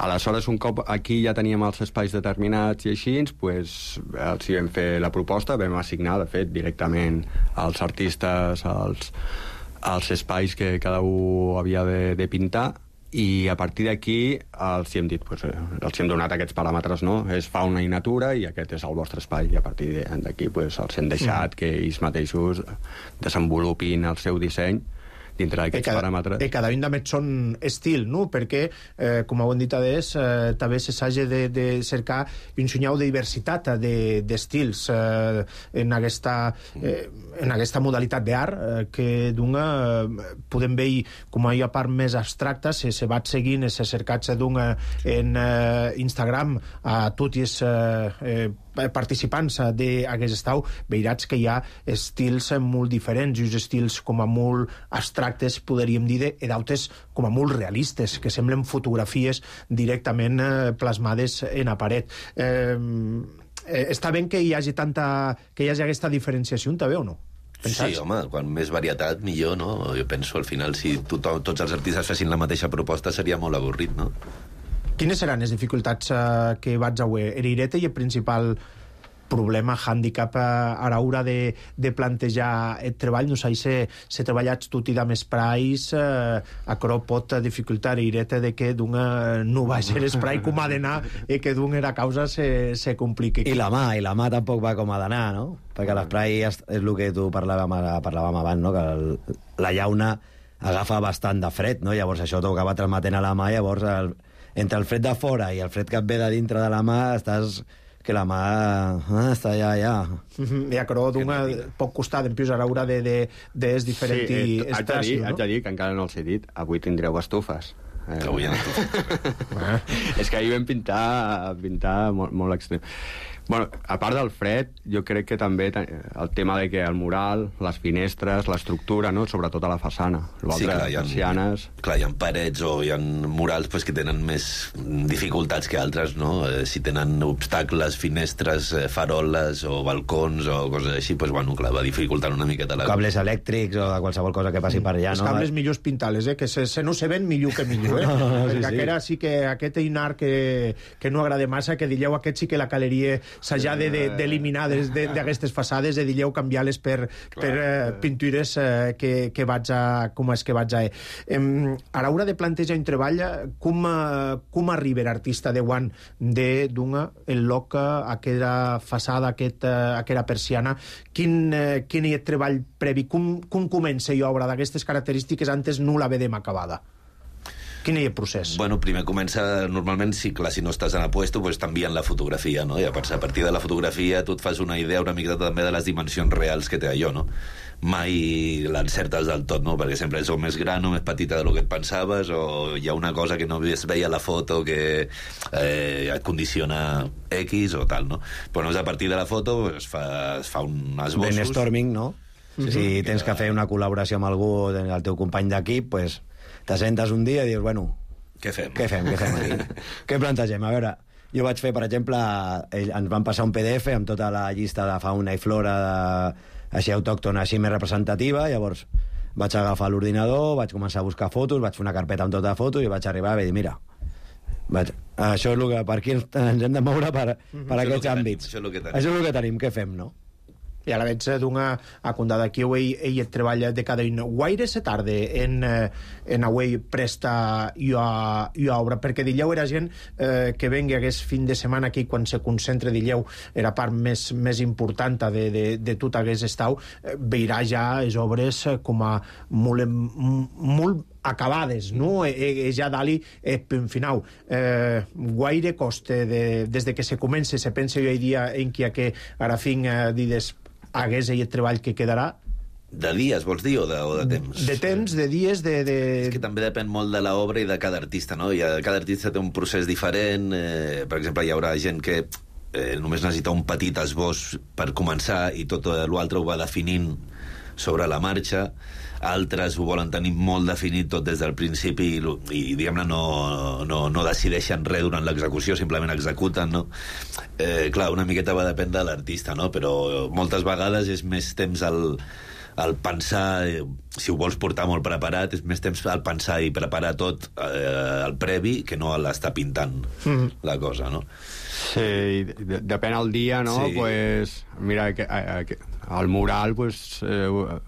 Aleshores, un cop aquí ja teníem els espais determinats i així, pues, els hi vam fer la proposta, vam assignar, de fet, directament als artistes els, els espais que cada un havia de, de pintar, i a partir d'aquí els hi hem dit, pues, els hi hem donat aquests paràmetres, no? És fauna i natura i aquest és el vostre espai, i a partir d'aquí pues, els hem deixat mm. que ells mateixos desenvolupin el seu disseny dintre d'aquests paràmetres. I cada un d'amets són estil, no? Perquè, eh, com heu dit adés, eh, també s'hagi de, de cercar un senyal de diversitat d'estils de, eh, en, aquesta, eh, en aquesta modalitat d'art eh, que d'una eh, podem veure com hi ha part més abstracta, se, se va seguint, se cercat d'una en eh, Instagram a tots els eh, eh, participants d'aquest estau, veuràs que hi ha estils molt diferents, i uns estils com a molt abstractes, podríem dir, i d'altres com a molt realistes, que semblen fotografies directament eh, plasmades en la paret. Eh, eh, està bé que hi hagi tanta, que hi hagi aquesta diferenciació, també, o no? Pensats? Sí, home, quan més varietat, millor, no? Jo penso, al final, si tothom, tots els artistes fessin la mateixa proposta, seria molt avorrit, no? Quines seran les dificultats eh, que vaig a veure? Erireta i el principal problema, hàndicap eh, a l'hora de, de plantejar el treball. No sé si se treballat tot i amb esprais, eh, això pot dificultar Erireta de que d'una no va ser esprai com ha d'anar i que d'una era causa se, se compliqui. I la mà, i la mà tampoc va com ha d'anar, no? Perquè l'esprai és, és el que tu parlàvem, parlàvem abans, no? Que el, la llauna agafa bastant de fred, no? Llavors això t'ho acaba transmetent a la mà, llavors el, entre el fred de fora i el fred que et ve de dintre de la mà estàs... que la mà ah, està allà, allà. Mm-hmm. I això d'una pot costar en plus a l'hora de, de, de es diferent sí, eh, estació, no? Haig de dir que encara no els he dit, avui tindreu estufes. Eh, que avui hi ha estufes. És que ahir vam pintar, pintar molt, molt extrem. Bueno, a part del fred, jo crec que també el tema de que el mural, les finestres, l'estructura, no? Sobretot a la façana. Sí, clar, hi ha, persianes... clar, hi ha parets o hi ha murals pues, que tenen més dificultats que altres, no? Eh, si tenen obstacles, finestres, eh, faroles o balcons o coses així, pues, bueno, clar, va dificultant una miqueta la... Cables elèctrics o de qualsevol cosa que passi per allà, no? Els cables millors pintar-les, eh? Que se, se no se ven millor que millor, eh? No, no, sí, sí. Aquest sí que aquest einar que, que no agrada massa, que dilleu aquest sí que la caleria s'ha d'eliminar de, de, d'aquestes façades, de dilleu canviar-les per, per eh, pintures eh, que, que vaig a... com és que vaig a... Eh, a l'hora de plantejar un treball, com, eh, com arriba l'artista de guant de d'una el loc, aquella façada, aquest, aquella persiana, quin, eh, quin és el treball previ? Com, com comença i obra d'aquestes característiques antes no la vedem acabada? Quin és el procés? Bueno, primer comença, normalment, si, clar, si no estàs en el puesto, pues t'envien la fotografia, no? I a partir de la fotografia tu et fas una idea una mica també de les dimensions reals que té allò, no? Mai l'encertes del tot, no? Perquè sempre és o més gran o més petita del que et pensaves, o hi ha una cosa que no es veia a la foto que eh, et condiciona X o tal, no? Però no és a partir de la foto, es fa, es fa un esbossos... Brainstorming, no? Mm-hmm. Si tens que fer una col·laboració amb algú, el teu company d'equip, pues... t'assentes un dia i dius, bueno... Què fem? Què fem, què fem aquí? Què plantegem? A veure, jo vaig fer, per exemple, ens van passar un P D F amb tota la llista de fauna i flora de, així autòctona, així més representativa, llavors vaig agafar l'ordinador, vaig començar a buscar fotos, vaig fer una carpeta amb tota fotos i vaig arribar a dir, mira, vaig, això és el que, per aquí ens hem de moure per, per aquests àmbits. Això és el que tenim. Això és el que tenim, què fem, no? I a la veig d'una acondada aquí ell, ell treballa de cada un. Guaire se tarda en, en avui presta i a, i a obra, perquè dilleu era gent eh, que vengui aquest fin de setmana aquí quan se concentra dilleu era part més, més important de, de, de tot aquest estau, eh, veurà ja les obres com a molt, molt acabades, no? E, e ja dali eh, punt final. Eh, guaire costa de, des de que se comença, se pensa jo hi dia en qui a que ara fin eh, dides hagués el treball que quedarà. De dies, vols dir, o de, o de temps? De temps, de dies, de... de... És que també depèn molt de l'obra i de cada artista, no? I cada artista té un procés diferent. Eh, per exemple, hi haurà gent que eh, només necessita un petit esbós per començar i tot l'altre ho va definint sobre la marxa. Altres ho volen tenir molt definit tot des del principi i, i diguem-ne, no, no, no decideixen res durant l'execució, simplement executen, no? Eh, clar, una miqueta va dependre de l'artista, no? Però moltes vegades és més temps al, al pensar, eh, si ho vols portar molt preparat, és més temps al pensar i preparar tot eh, al previ que no a l'estar pintant mm-hmm. la cosa, no? Sí, de, depèn el dia, no? Sí. Pues, mira, que, que, el mural pues, eh,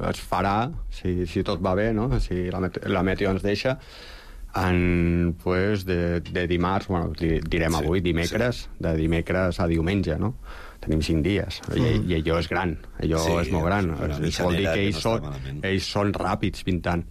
es farà, si, si tot va bé, no? Si la, met la meteo ens deixa, en, pues, de, de dimarts, bueno, direm avui, dimecres, de dimecres a diumenge, no? Tenim cinc dies, I, mm. i allò és gran, allò sí, és molt gran. És, és, vol dir que ells, que no són, ells són ràpids pintant.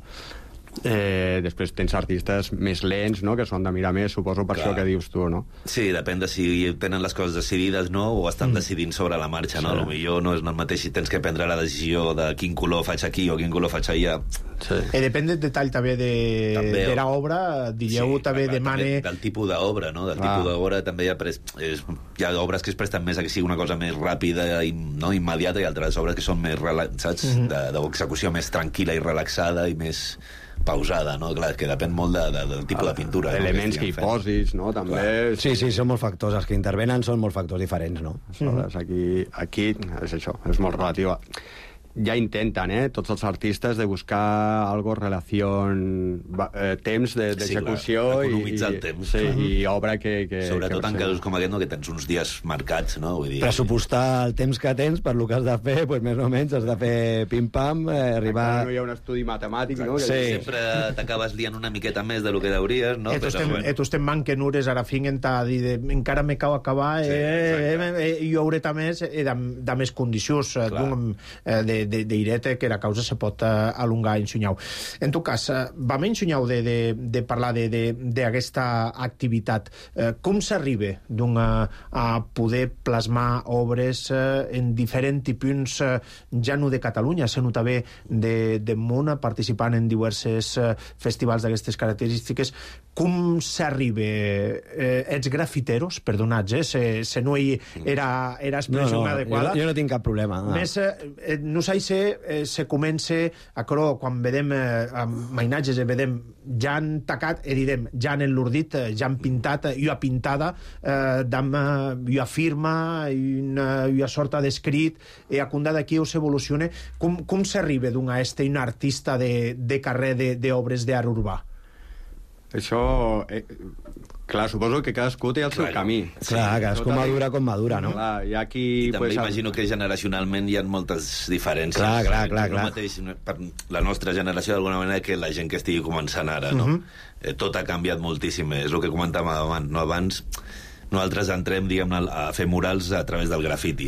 Eh, després tens artistes més lents, no?, que són de mirar més, suposo per Clar. Això que dius tu, no? Sí, depèn de si tenen les coses decidides, no?, o estan mm. decidint sobre la marxa, no? Sí. Potser no és el mateix si tens que prendre la decisió de quin color faig aquí o quin color faig allà. Sí. E depèn del detall també de, també, de l'obra, dieu sí, també demane... També del tipus d'obra, no? Del ah. tipus d'obra també hi ha, pres... és... hi ha obres que es presten més a que sigui una cosa més ràpida i no immediata, i altres obres que són més, saps, mm -hmm. d'execució més tranquil·la i relaxada i més pausada, no? Clar, que depèn molt de, de, del tipus ah, de pintura. Elements no? que, que hi posis, no? També... Clar. Sí, sí, són molts factors. Els que intervenen són molts factors diferents, no? Mm. Aquí, aquí és això, és molt relatiu. Ja intenten, eh, tots els artistes, de buscar algo relació, eh, temps d'execució sí, economitzar i, el temps. Sí, uh-huh. i obra que... que Sobretot que en casos com aquest, no, que tens uns dies marcats, no? Vull dir... Pressupostar el temps que tens per lo que has de fer, pues, més o menys has de fer pim-pam, eh, arribar... Encara no hi ha un estudi matemàtic, no? Sí. Sempre t'acabes liant una miqueta més de lo que deuries, no? Tu estem, bueno. estem manquen ures, ara finguen a dir de, encara me cau acabar, sí, eh, eh, eh, i hauré també eh, de, de més condicions eh, de d'irete que la causa se pot uh, alongar en Xunyau. En tot cas, uh, vam en Xunyau de, de, de parlar d'aquesta activitat. Uh, com s'arriba uh, a poder plasmar obres uh, en diferents punts, uh, ja no de Catalunya, sinó també de, de món, participant en diversos uh, festivals d'aquestes característiques? Com s'arriba? Eh, ets grafiteros, perdonats, eh? Se, se no hi era, era expressió no, no, adequada. Jo, jo no tinc cap problema. No. Més, eh, no sé si eh, se comença a crò, quan vedem eh, mainatges, eh, vedem ja han tacat, e direm, ja han enlordit, eh, ja han pintat, eh, jo ha pintada, eh, dam, eh, jo ha firma, una, jo ha sorta d'escrit, e a condà d'aquí o s'evoluciona. Com, com s'arriba d'un a este un artista de, de carrer d'obres d'art urbà? Això... Eh, clar, suposo que cadascú té el seu clar, camí. Sí, clar, cadascú madura com madura, no? Clar, i aquí... I també pues, imagino que generacionalment hi ha moltes diferències. Clar, clar, clar. No clar. mateix, per la nostra generació, d'alguna manera, que la gent que estigui començant ara, no? Uh -huh. eh, tot ha canviat moltíssim. És el que comentàvem abans, no? Abans nosaltres entrem, diguem, a fer murals a través del grafiti.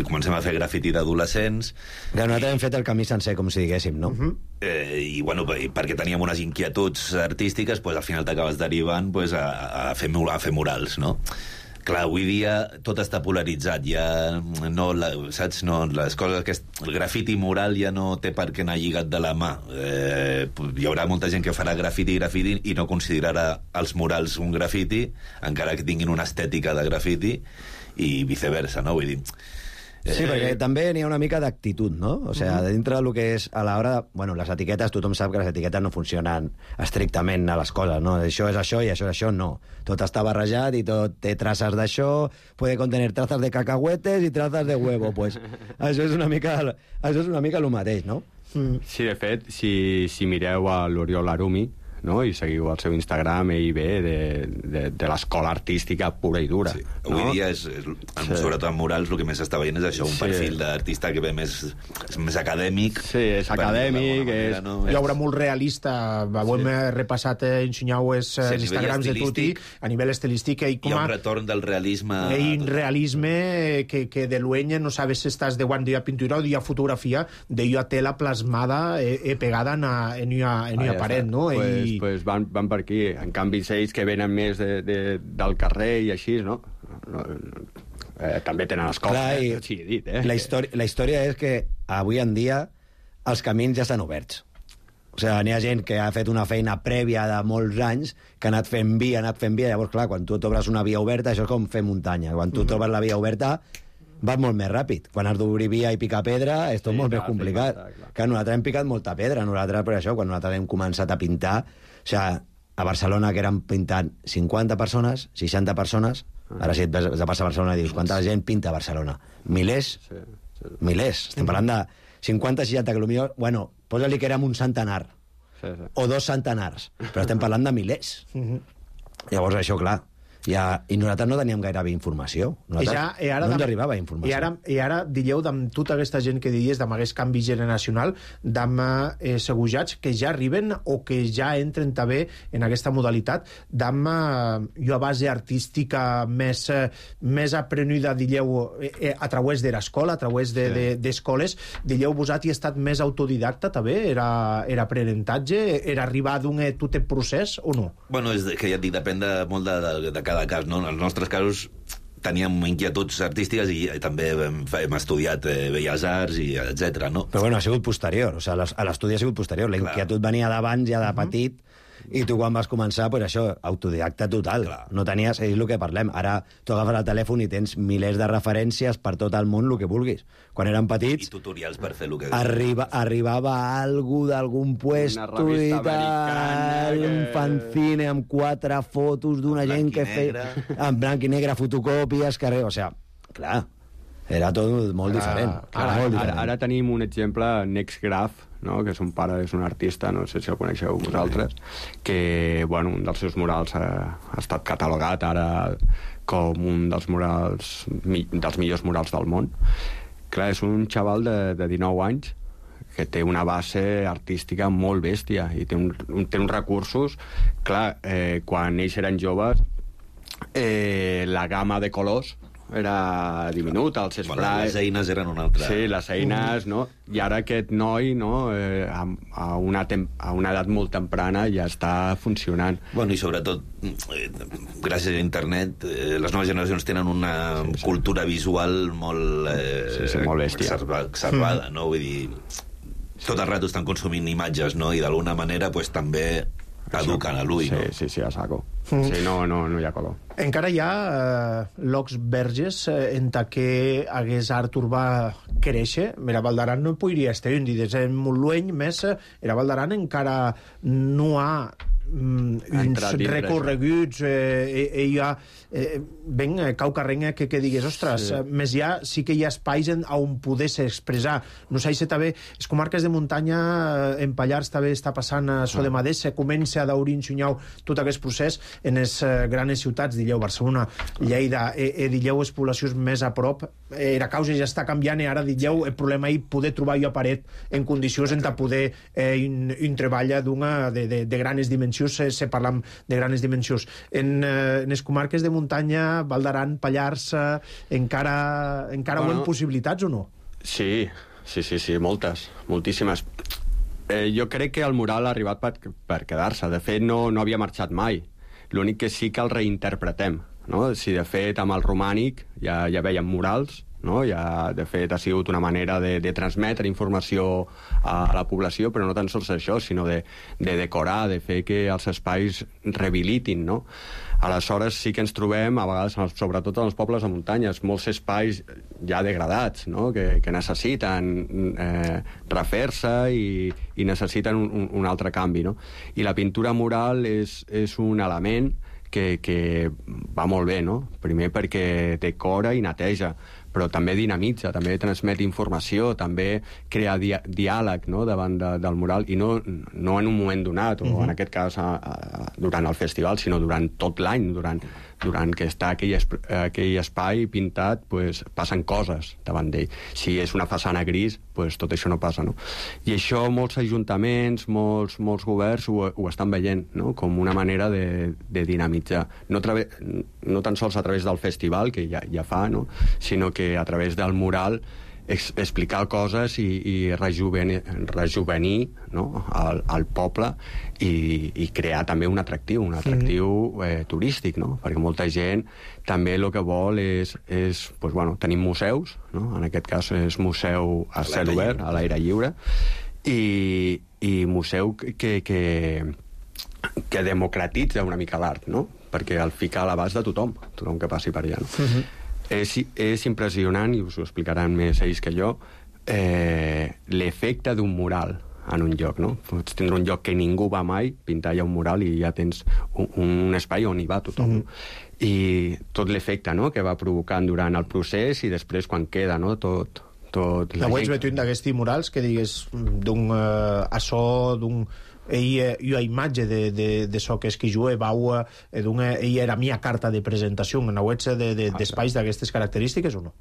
Comencem a fer grafiti d'adolescents. Ja, nosaltres hem fet el camí sencer, com si diguéssim, no? Uh-huh. eh, I, bueno, perquè teníem unes inquietuds artístiques, pues, al final t'acabes derivant pues, a, a, fer, a fer murals, no? Clar, avui dia tot està polaritzat, ja no, la, saps, no, les coses que... El grafiti moral ja no té per què anar lligat de la mà. Eh, hi haurà molta gent que farà grafiti grafiti i no considerarà els murals un grafiti, encara que tinguin una estètica de grafiti, i viceversa, no? Vull dir... Sí, perquè també n'hi ha una mica d'actitud, no? O sigui, uh-huh. dintre del que és a l'hora de... Bueno, les etiquetes, tothom sap que les etiquetes no funcionen estrictament a les coses, no? Això és això i això és això, no. Tot està barrejat i tot té traces d'això, puede contener trazas de cacahuetes i trazas de huevo, pues. Això és una mica, això és una mica el mateix, no? Mm. Sí, de fet, si, si mireu a l'Oriol Arumi, no? I seguiu el seu Instagram, ell ve de, de, de l'escola artística pura i dura. Sí. Avui no? dia, és, és, sí. sobretot en murals, el que més s'està veient és això, un sí. perfil d'artista que ve més, més acadèmic. Sí, és acadèmic. Manera, és... No? Hi haurà molt realista. Avui sí. hem repassat en Xunyau els sí, Instagrams de Tuti, a nivell estilístic. Hi ha un retorn del realisme. Hi ha un realisme que, que de l'ueny no sabes si estàs de guant de pintura o de fotografia, de jo a tela plasmada e, e pegada en, en, en, en ah, ja paret, no? Pues, I... pues van, van per aquí. En canvi, ells que venen més de, de, del carrer i així, no? no, no eh, també tenen escola. Clar, eh? Sí, dit, eh? La història, la història és que avui en dia els camins ja estan oberts. O sigui, n'hi ha gent que ha fet una feina prèvia de molts anys, que ha anat fent via, ha anat fent via, llavors, clar, quan tu t'obres una via oberta, això és com fer muntanya. Quan tu mm-hmm. trobes la via oberta, vas molt més ràpid. Quan has d'obrir via i picar pedra, és tot sí, molt clar, més complicat. Sí, clar, clar. Que nosaltres hem picat molta pedra, nosaltres per això, quan nosaltres hem començat a pintar, o sigui, a Barcelona, que eren pintant cinquanta persones, seixanta persones, ara si et vas a passar a Barcelona i dius, quanta gent pinta a Barcelona? Milers? Sí, sí. Milers. Estem parlant de cinquanta, seixanta, que potser, bueno, posa-li que érem un centenar, sí, sí. o dos centenars, però estem parlant de milers. Uh-huh. Llavors, això, clar, I, a, i nosaltres no teníem gairebé informació. Nosaltres I ja, i ara, no ens arribava informació. I ara, i ara dieu, amb tota aquesta gent que diries, amb aquest canvi generacional, d'amb eh, segujats que ja arriben o que ja entren també en aquesta modalitat, d'amb eh, jo a base artística més, eh, més aprenuda, dieu, eh, a través de l'escola, a través d'escoles, de, de, dieu, vosaltres hi ha estat més autodidacta també? Era, era aprenentatge? Era arribar d'un eh, tot el procés o no? Bueno, és que ja et dic, depèn de, molt de, de, de cada cas, no? En els nostres casos teníem inquietuds artístiques i, i també hem, hem estudiat eh, Belles Arts i etcètera, no? Però bueno, ha sigut posterior, o sigui, l'estudi ha sigut posterior, la inquietud venia d'abans, ja de petit, i tu quan vas començar, pues això, autodidacta total. Clar. No tenies, és el que parlem, ara tu agafes el telèfon i tens milers de referències per tot el món, el que vulguis. Quan érem petits... I tutorials per fer el que... Arriba, arribava algú d'algun puesto i tal, que... un fanzine amb quatre fotos d'una gent que feia... En blanc i negre, fotocòpies, carrer... O sigui, clar, era tot molt ara, diferent. Ara, molt ara, diferent. ara tenim un exemple, Nextgraph, no? Que son pare és un artista, no sé si el coneixeu vosaltres, que bueno, un dels seus murals ha, ha estat catalogat ara com un dels murals mi, dels millors murals del món. Clar, és un xaval de, de dinou anys que té una base artística molt bèstia i té, un, un, té uns recursos. Clar, eh, quan ells eren joves, eh, la gamma de colors era diminuta, els sprays... Bueno, les eines eren una altra... Sí, les eines, no? I ara aquest noi, no?, eh, a, a, una tem a una edat molt temprana ja està funcionant. Bueno, i sobretot, eh, gràcies a internet, eh, les noves generacions tenen una sí, sí. cultura visual molt... Eh, sí, sí, molt bèstia. Exacerbada, no? Vull dir, tot el rato estan consumint imatges, no? I d'alguna manera, pues, també eduquen a l'ull, sí, no? Sí, sí, a saco. Mm. Sí, no, no, no hi ha color. Encara hi ha eh, locs verges eh, en què hagués art urbà créixer. Mira, Val d'Aran no podria estar un dia en molt lluny, més era Val d'Aran encara no ha mm, uns recorreguts eh, eh, hi ha eh, ben eh, caucarrenga que, que digues, ostres, sí. més ja sí que hi ha espais en, on poder-se expressar. No sé si també, les comarques de muntanya eh, en Pallars també està passant a so de Madés, se comença a daurir enxunyau tot aquest procés en les eh, grans ciutats, dilleu Barcelona, Lleida, eh, eh, dilleu les poblacions més a prop, eh, la causa ja està canviant i ara dilleu el problema és poder trobar jo paret en condicions en poder eh, un, un treball d'una de, de, de grans dimensions, se, se parlam de grans dimensions. En, eh, en les comarques de muntanya, Val d'Aran, Pallars, eh, encara, encara bueno, ho hem possibilitats o no? Sí, sí, sí, sí, moltes, moltíssimes. Eh, jo crec que el mural ha arribat per, per quedar-se. De fet, no, no havia marxat mai. L'únic que sí que el reinterpretem, no? Si de fet amb el romànic ja, ja veiem murals, no? Ja, de fet, ha sigut una manera de, de transmetre informació a, a la població, però no tan sols això, sinó de, de decorar, de fer que els espais rehabilitin, no? Aleshores sí que ens trobem, a vegades, sobretot en els pobles de muntanyes, molts espais ja degradats, no? que, que necessiten eh, refer-se i, i necessiten un, un altre canvi. No? I la pintura mural és, és un element que, que va molt bé, no? Primer perquè decora i neteja, però també dinamitza, també transmet informació, també crea di diàleg, no?, davant de, del mural, i no, no en un moment donat, o uh-huh. en aquest cas a, a, durant el festival, sinó durant tot l'any, durant, durant que està aquell, aquell espai pintat, pues, passen coses davant d'ell. Si és una façana gris, pues, tot això no passa, no? I això molts ajuntaments, molts, molts governs ho, ho estan veient, no?, com una manera de, de dinamitzar. No, no tan sols a través del festival, que ja, ja fa, no?, sinó que a través del mural ex explicar coses i, i rejuvenir, rejuvenir no? al, al poble i, i crear també un atractiu, un atractiu eh, turístic, no? Perquè molta gent també el que vol és, és pues, bueno, tenim museus, no? En aquest cas és museu a cel obert, a l'aire lliure, i, i museu que, que, que democratitza una mica l'art, no? Perquè el fica a l'abast de tothom, tothom que passi per allà, no? Uh-huh. És, és impressionant, i us ho explicaran més ells que jo, eh, l'efecte d'un mural en un lloc, no? Pots tindre un lloc que ningú va mai, pintar allà un mural i ja tens un, un espai on hi va tothom. Mm-hmm. I tot l'efecte, no?, que va provocant durant el procés i després quan queda, no?, tot... tot la veig veient d'aquests murals que digues d'un uh, açò, d'un ell, jo a imatge de, de, de so que és que jo vau, ella era mia carta de presentació en webs de, de, d'espais d'aquestes característiques o no?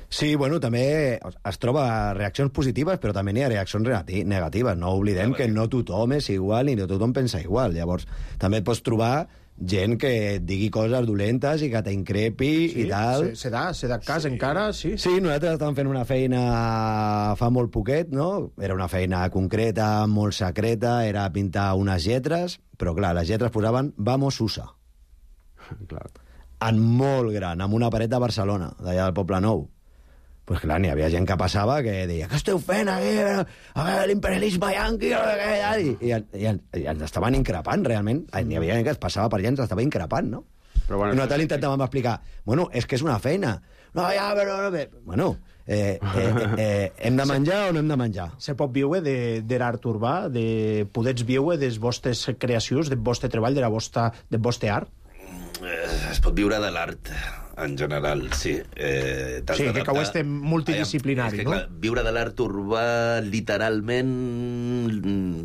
Sí, bueno, també es troba reaccions positives, però també n'hi ha reaccions negatives. No oblidem que no tothom és igual i no tothom pensa igual. Llavors, també et pots trobar gent que et digui coses dolentes i que t'increpi sí, i tal. Se, se da, se da cas sí. encara, sí. Sí, nosaltres estàvem fent una feina fa molt poquet, no? Era una feina concreta, molt secreta, era pintar unes lletres, però clar, les lletres posaven Vamos USA. Clar. En molt gran, amb una paret de Barcelona, d'allà del Poble Nou. Pues clar, n'hi havia gent que passava que deia què esteu fent aquí? A veure, l'imperialisme yanqui... I, i, i, i ens estaven increpant, realment. N'hi havia gent que es passava per allà i ens estava increpant, no? Però bueno, I nosaltres intentàvem explicar, bueno, és que és una feina. No, ja, però... Bueno, eh, eh, eh, hem de menjar o no hem de menjar? Se pot viure de, de l'art urbà, de podets viure de les vostres creacions, del vostre treball, de la vostra, del vostre art? Es pot viure de l'art en general, sí. Eh, sí, que ho estem multidisciplinari, Ai, és que, no? Clar, viure de l'art urbà, literalment,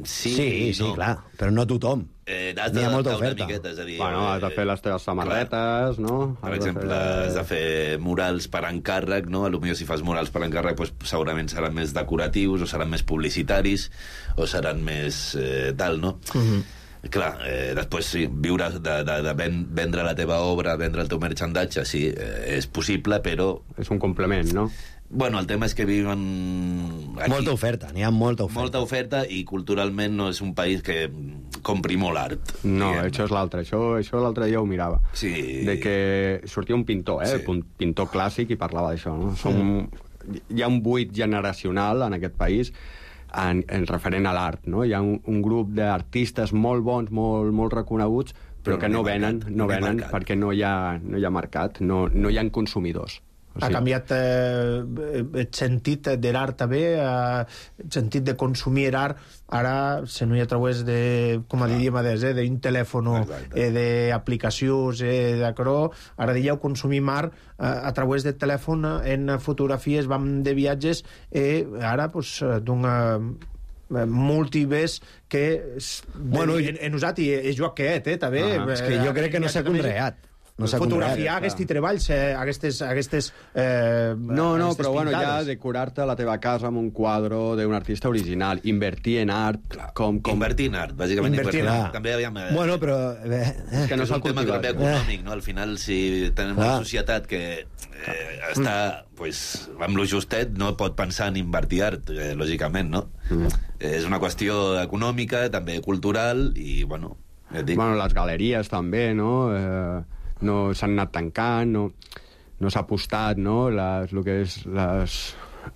sí, sí, sí, no. clar, però no tothom. Eh, has d'adaptar una miqueta, és a dir... Bueno, has de fer les teves samarretes, clar. No? Per has exemple, de fer... has de fer murals per encàrrec, no? Potser si fas murals per encàrrec, doncs, segurament seran més decoratius, o seran més publicitaris, o seran més eh, tal, no? Mhm. Clar, eh, després sí, viure de, de, de vendre la teva obra, vendre el teu merchandatge, sí, eh, és possible, però... És un complement, no? Bueno, el tema és que viuen... Aquí. Molta oferta, n'hi ha molta oferta. Molta oferta i culturalment no és un país que compri molt art. No, diguem. Això és l'altre. Això, això l'altre dia ho mirava. Sí. De que sortia un pintor, eh? Sí. Un pintor clàssic i parlava d'això, no? Som... Hi ha un buit generacional en aquest país En, en referent a l'art, no? Hi ha un, un grup d'artistes molt bons, molt, molt reconeguts, però, però que no, no venen, mercat, no venen mercat. Perquè no hi ha, no hi ha mercat, no, no hi ha consumidors. O sigui... Ha canviat eh, el sentit de l'art també, eh, el sentit de consumir l'art, ara se no hi ha través de, com a diríem adés, eh, d'un telèfon, eh, d'aplicacions, eh, d'acrò, ara dieu consumim art eh, a través del telèfon, en fotografies, vam de viatges, eh, ara, pues, d'una multivers que bueno, en, en usat i és jo aquest, eh, també. Ah, és que jo crec que no s'ha conreat. No fotografiar aquests treballs, eh, aquestes... aquestes eh, no, no, aquestes però bueno, pintades. ja decorar-te la teva casa amb un quadre d'un artista original, invertir en art... Clar, com, com... Invertir en art, bàsicament invertir, invertir en art. També havíem... Eh, bueno, però... Eh, és que no és un tema també econòmic, no? Al final, si tenim una societat que eh, està pues, amb lo justet, no pot pensar en invertir art, eh, lògicament, no? Mm. Eh, és una qüestió econòmica, també cultural, i, bueno... Ja dic... Bueno, les galeries també, no? Eh... no s'han anat tancant, no, no s'ha apostat, no?, les, el que és les,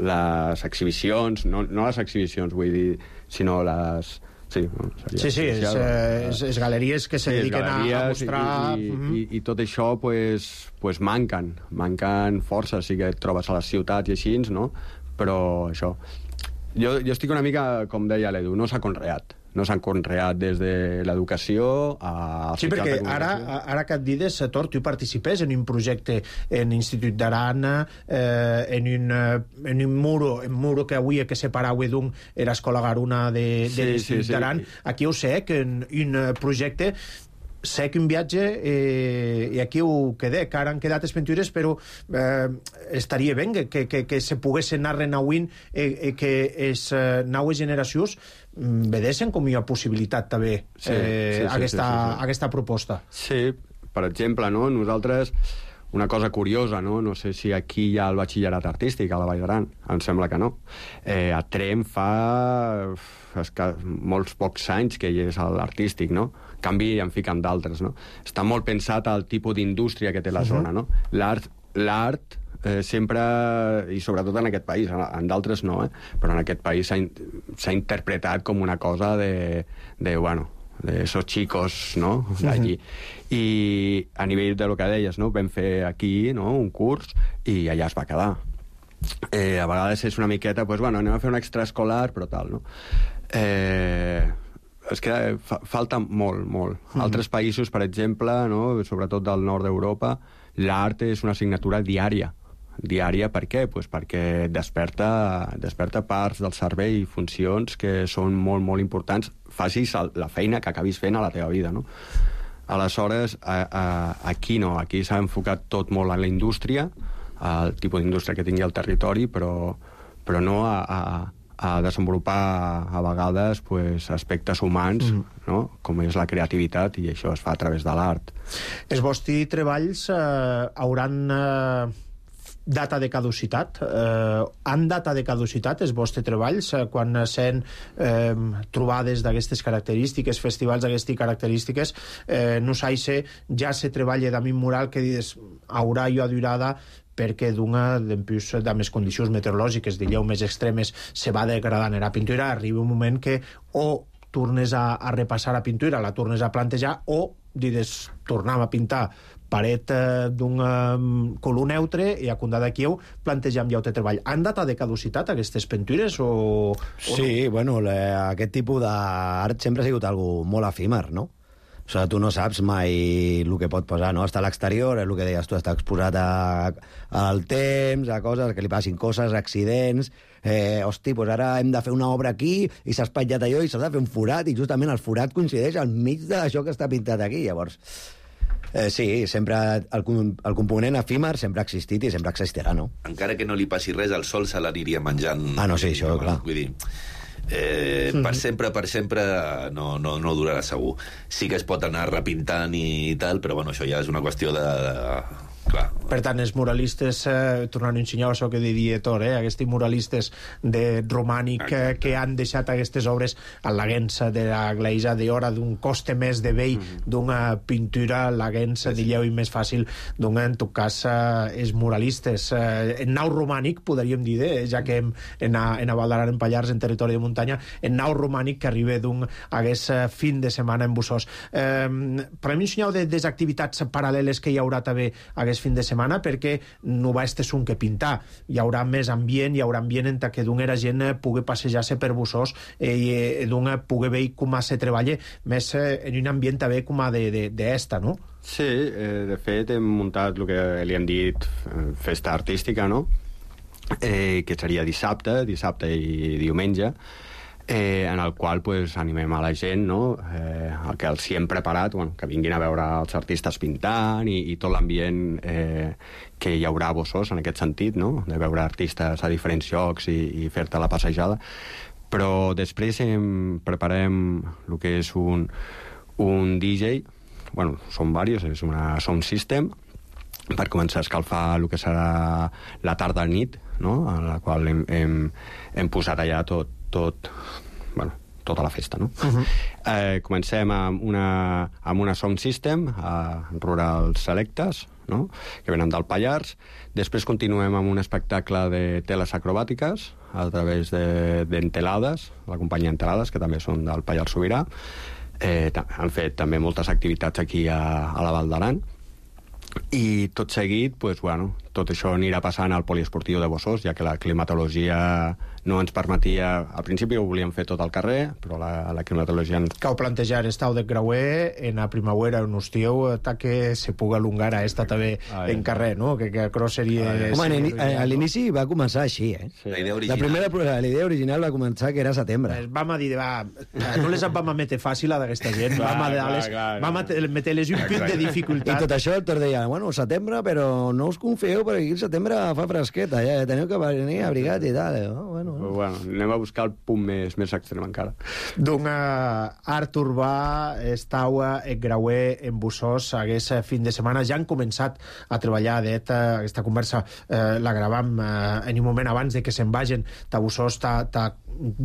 les exhibicions, no, no les exhibicions, vull dir, sinó les... Sí, no, sí, sí, és, és, és galeries que se sí, dediquen a, a mostrar... I, i, i, i tot això, pues, pues manquen, manquen força, sí que et trobes a les ciutats i així, no?, però això... Jo, jo estic una mica, com deia l'Edu, no s'ha conreat. No s'han conreat des de l'educació a... Sí, perquè ara, ara que et dides, Tor, tu participes en un projecte en l'Institut d'Arana, eh, en, un, en un muro, en muro que avui que separava d'un l'escola Garuna de, de sí, l'Institut sí, sí. d'Aran. Aquí ho sé, que en un projecte sé que un viatge, eh, i aquí ho quedé, que ara han quedat les pintures, però eh, estaria bé que, que, que se pogués anar renauint, eh, que les eh, noves generacions vedessin com hi ha possibilitat també sí, eh, sí, sí, aquesta, sí, sí, sí. aquesta proposta. Sí, per exemple, no? Nosaltres, una cosa curiosa, no? No sé si aquí hi ha el batxillerat artístic a la Vall d'Aran, em sembla que no. Eh, a Tremp fa esca... molts pocs anys que hi és l'artístic, no? En canvi, en fiquen d'altres, no? Està molt pensat al tipus d'indústria que té la zona, no? L'art, l'art eh, sempre, i sobretot en aquest país, en d'altres no, eh? Però en aquest país s'ha, s'ha interpretat com una cosa de, de bueno, de esos chicos, no?, d'allí. I a nivell de lo que deies, no?, vam fer aquí, no?, un curs, i allà es va quedar. Eh, a vegades és una miqueta, pues, bueno, anem a fer un extraescolar, però tal, no? Eh... és que fa, falta molt, molt. Mm. Altres països, per exemple, no, sobretot del nord d'Europa, l'art és una assignatura diària. Diària per què? Pues perquè desperta, desperta parts del cervell i funcions que són molt, molt importants facis la feina que acabis fent a la teva vida, no? Aleshores, a, a, aquí no, aquí s'ha enfocat tot molt a la indústria, al tipus d'indústria que tingui el territori, però, però no a, a, a desenvolupar a vegades pues, aspectes humans, mm. no? Com és la creativitat, i això es fa a través de l'art. Els vostres treballs eh, hauran... Eh... data de caducitat. Eh, han data de caducitat els vostres treballs eh, quan sent eh, trobades d'aquestes característiques, festivals d'aquestes característiques, eh, no s'aixe, ja se treballa d'ament mural que dius, haurà jo durada perquè d'una, d'empús, de més condicions meteorològiques, digueu, més extremes, se va degradant la pintura, arriba un moment que o tornes a, a repassar la pintura, la tornes a plantejar, o dius, tornem a pintar paret eh, d'un eh, color neutre i a condar d'aquí plantejam ja el treball. Han data de caducitat aquestes pintures o, o sí, no? Bueno, le, aquest tipus d'art sempre ha sigut algo molt efímer, no? O sigui, tu no saps mai el que pot passar, no? Està a l'exterior, és el que deies tu, està exposat a, al temps, a coses, que li passin coses, accidents... Eh, hosti, doncs ara hem de fer una obra aquí i s'ha espatllat allò i s'ha de fer un forat i justament el forat coincideix al mig d'això que està pintat aquí, llavors... Eh, sí, sempre el, el component efímer sempre ha existit i sempre existirà, no? Encara que no li passi res, el sol se l'aniria menjant. Ah, no, sí, això, no, clar. Vull dir, eh, mm-hmm. per sempre, per sempre no, no, no durarà segur. Sí que es pot anar repintant i tal, però bueno, això ja és una qüestió de... de... Clar. Per tant, els muralistes, eh, tornant a ensenyar això que diria Tor, eh, aquests muralistes de romànic eh, que han deixat aquestes obres a l'Aguença de la Gleisa d'hora d'un coste més de vell mm-hmm. d'una pintura, l'Aguença, sí, digueu, i més fàcil d'una, en tot cas, eh, els muralistes. Eh, en nau romànic, podríem dir, eh, ja que hem, en, a, en a Val d'Aran, en Pallars, en territori de muntanya, en nau romànic que arriba d'un hagués fin de setmana en Bussós. Eh, podem ensenyar de, des activitats paral·leles que hi haurà també aquest fin de setmana, perquè no va este un que pintar, hi haurà més ambient, hi haurà ambient en què d'una gent pugui passejar-se per Bussós eh, i d'una pugui veure com se treballa més eh, en un ambient també com a d'esta, no? Sí, eh, de fet hem muntat el que li hem dit festa artística, no? Eh, que seria dissabte, dissabte i diumenge, Eh, en el qual pues, animem a la gent, no? eh, el que els hi hem preparat, bueno, que vinguin a veure els artistes pintant i, i tot l'ambient eh, que hi haurà a Bussós en aquest sentit, no? De veure artistes a diferents llocs i, i fer-te la passejada. Però després hem, preparem el que és un, un D J, bueno, són diversos, és una sound system, per començar a escalfar el que serà la tarda nit, no? En la qual hem, hem, hem posat allà tot tot, bueno, tota la festa, no? Uh-huh. eh, comencem amb una, amb una sound system a Rural Selectes, no? Que venen del Pallars. Després continuem amb un espectacle de teles acrobàtiques a través d'Entelades, de, la companyia Entelades, que també són del Pallars Sobirà. Eh, han fet també moltes activitats aquí a, a la Val d'Aran. I tot seguit, pues, bueno, tot això anirà passant al poliesportiu de Bussós, ja que la climatologia no ens permetia... Al principi ho volíem fer tot al carrer, però la, la climatologia... Cau plantejar estau de creuer en la primavera, en estiu, que se puga alongar a esta també Ai. en carrer, no? Que, que això seria... Home, seria a l'inici va començar així, eh? Sí. La idea original. La primera, la idea original va començar que era setembre. Pues vam a dir, va, no les vam a metre fàcil a d'aquesta gent, clar, vam a, clar, les, clar, vam a metre-les un punt de dificultat. I tot això el Tor deia, bueno, setembre, però no us confieu, perquè aquí el setembre fa fresqueta, ja teniu que venir abrigat i tal. No? Bueno, Però, bueno, anem a buscar el punt més, més extrem encara. D'un art urbà estau en Grauer, en Bussós, hagués fin de setmana. Ja han començat a treballar d'eta, aquesta conversa eh, la gravam eh, en un moment abans de que se'n vagin a Bussós, ta, ta,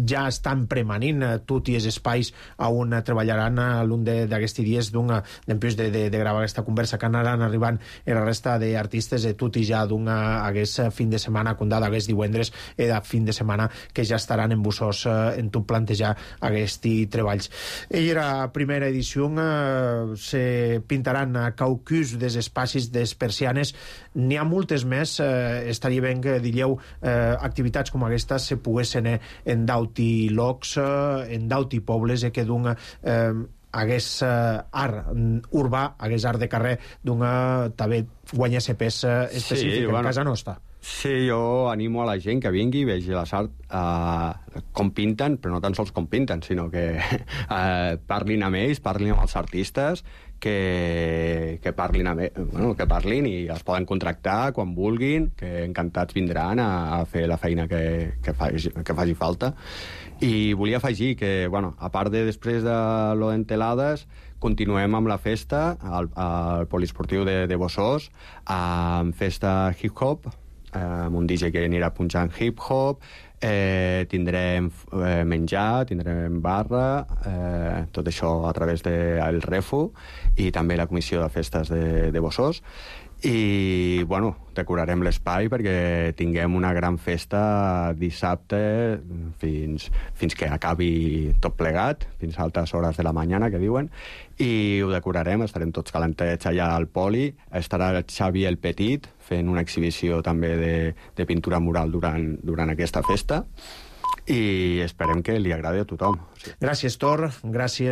ja estan premanint eh, tot i els espais on treballaran a l'un d'aquests dies d'un d'empús de, de, de gravar aquesta conversa, que anaran arribant en la resta d'artistes de tot i ja d'un hagués fin de setmana condada, hagués divendres i de fin de setmana que ja estaran en Bussós eh, en tot plantejar aquests treballs. I la primera edició eh, se pintaran a caucus dels espacis des persianes. N'hi ha moltes més. Eh, estaria bé que diríeu eh, activitats com aquesta se poguessin eh, en dauti locs, eh, en dauti pobles, eh, que d'un eh, hagués uh, art urbà, hagués art de carrer, d'una també guanyar-se pes uh, específic, sí, bueno, en casa nostra. Sí, jo animo a la gent que vingui, vegi la sart, uh, com pinten, però no tan sols com pinten, sinó que uh, parlin amb ells, parlin amb els artistes, que, que, parlin amb, bueno, que parlin i els poden contractar quan vulguin, que encantats vindran a, a fer la feina que, que, faci, que faci falta. I volia afegir que, bueno, a part de després de lo d'Entelades, continuem amb la festa al, al poliesportiu de, de Bossós, amb festa hip-hop, amb un D J que anirà punxant hip-hop, eh, tindrem eh, menjar, tindrem barra, eh, tot això a través del Refu i també la comissió de festes de, de Bossós. I, bueno, decorarem l'espai perquè tinguem una gran festa dissabte fins, fins que acabi tot plegat, fins a altes hores de la mañana, que diuen, i ho decorarem, estarem tots calentets allà al poli, estarà el Xavi el Petit fent una exhibició també de, de pintura mural durant, durant aquesta festa, i esperem que li agradi a tothom. Gràcies, Tor, gràcies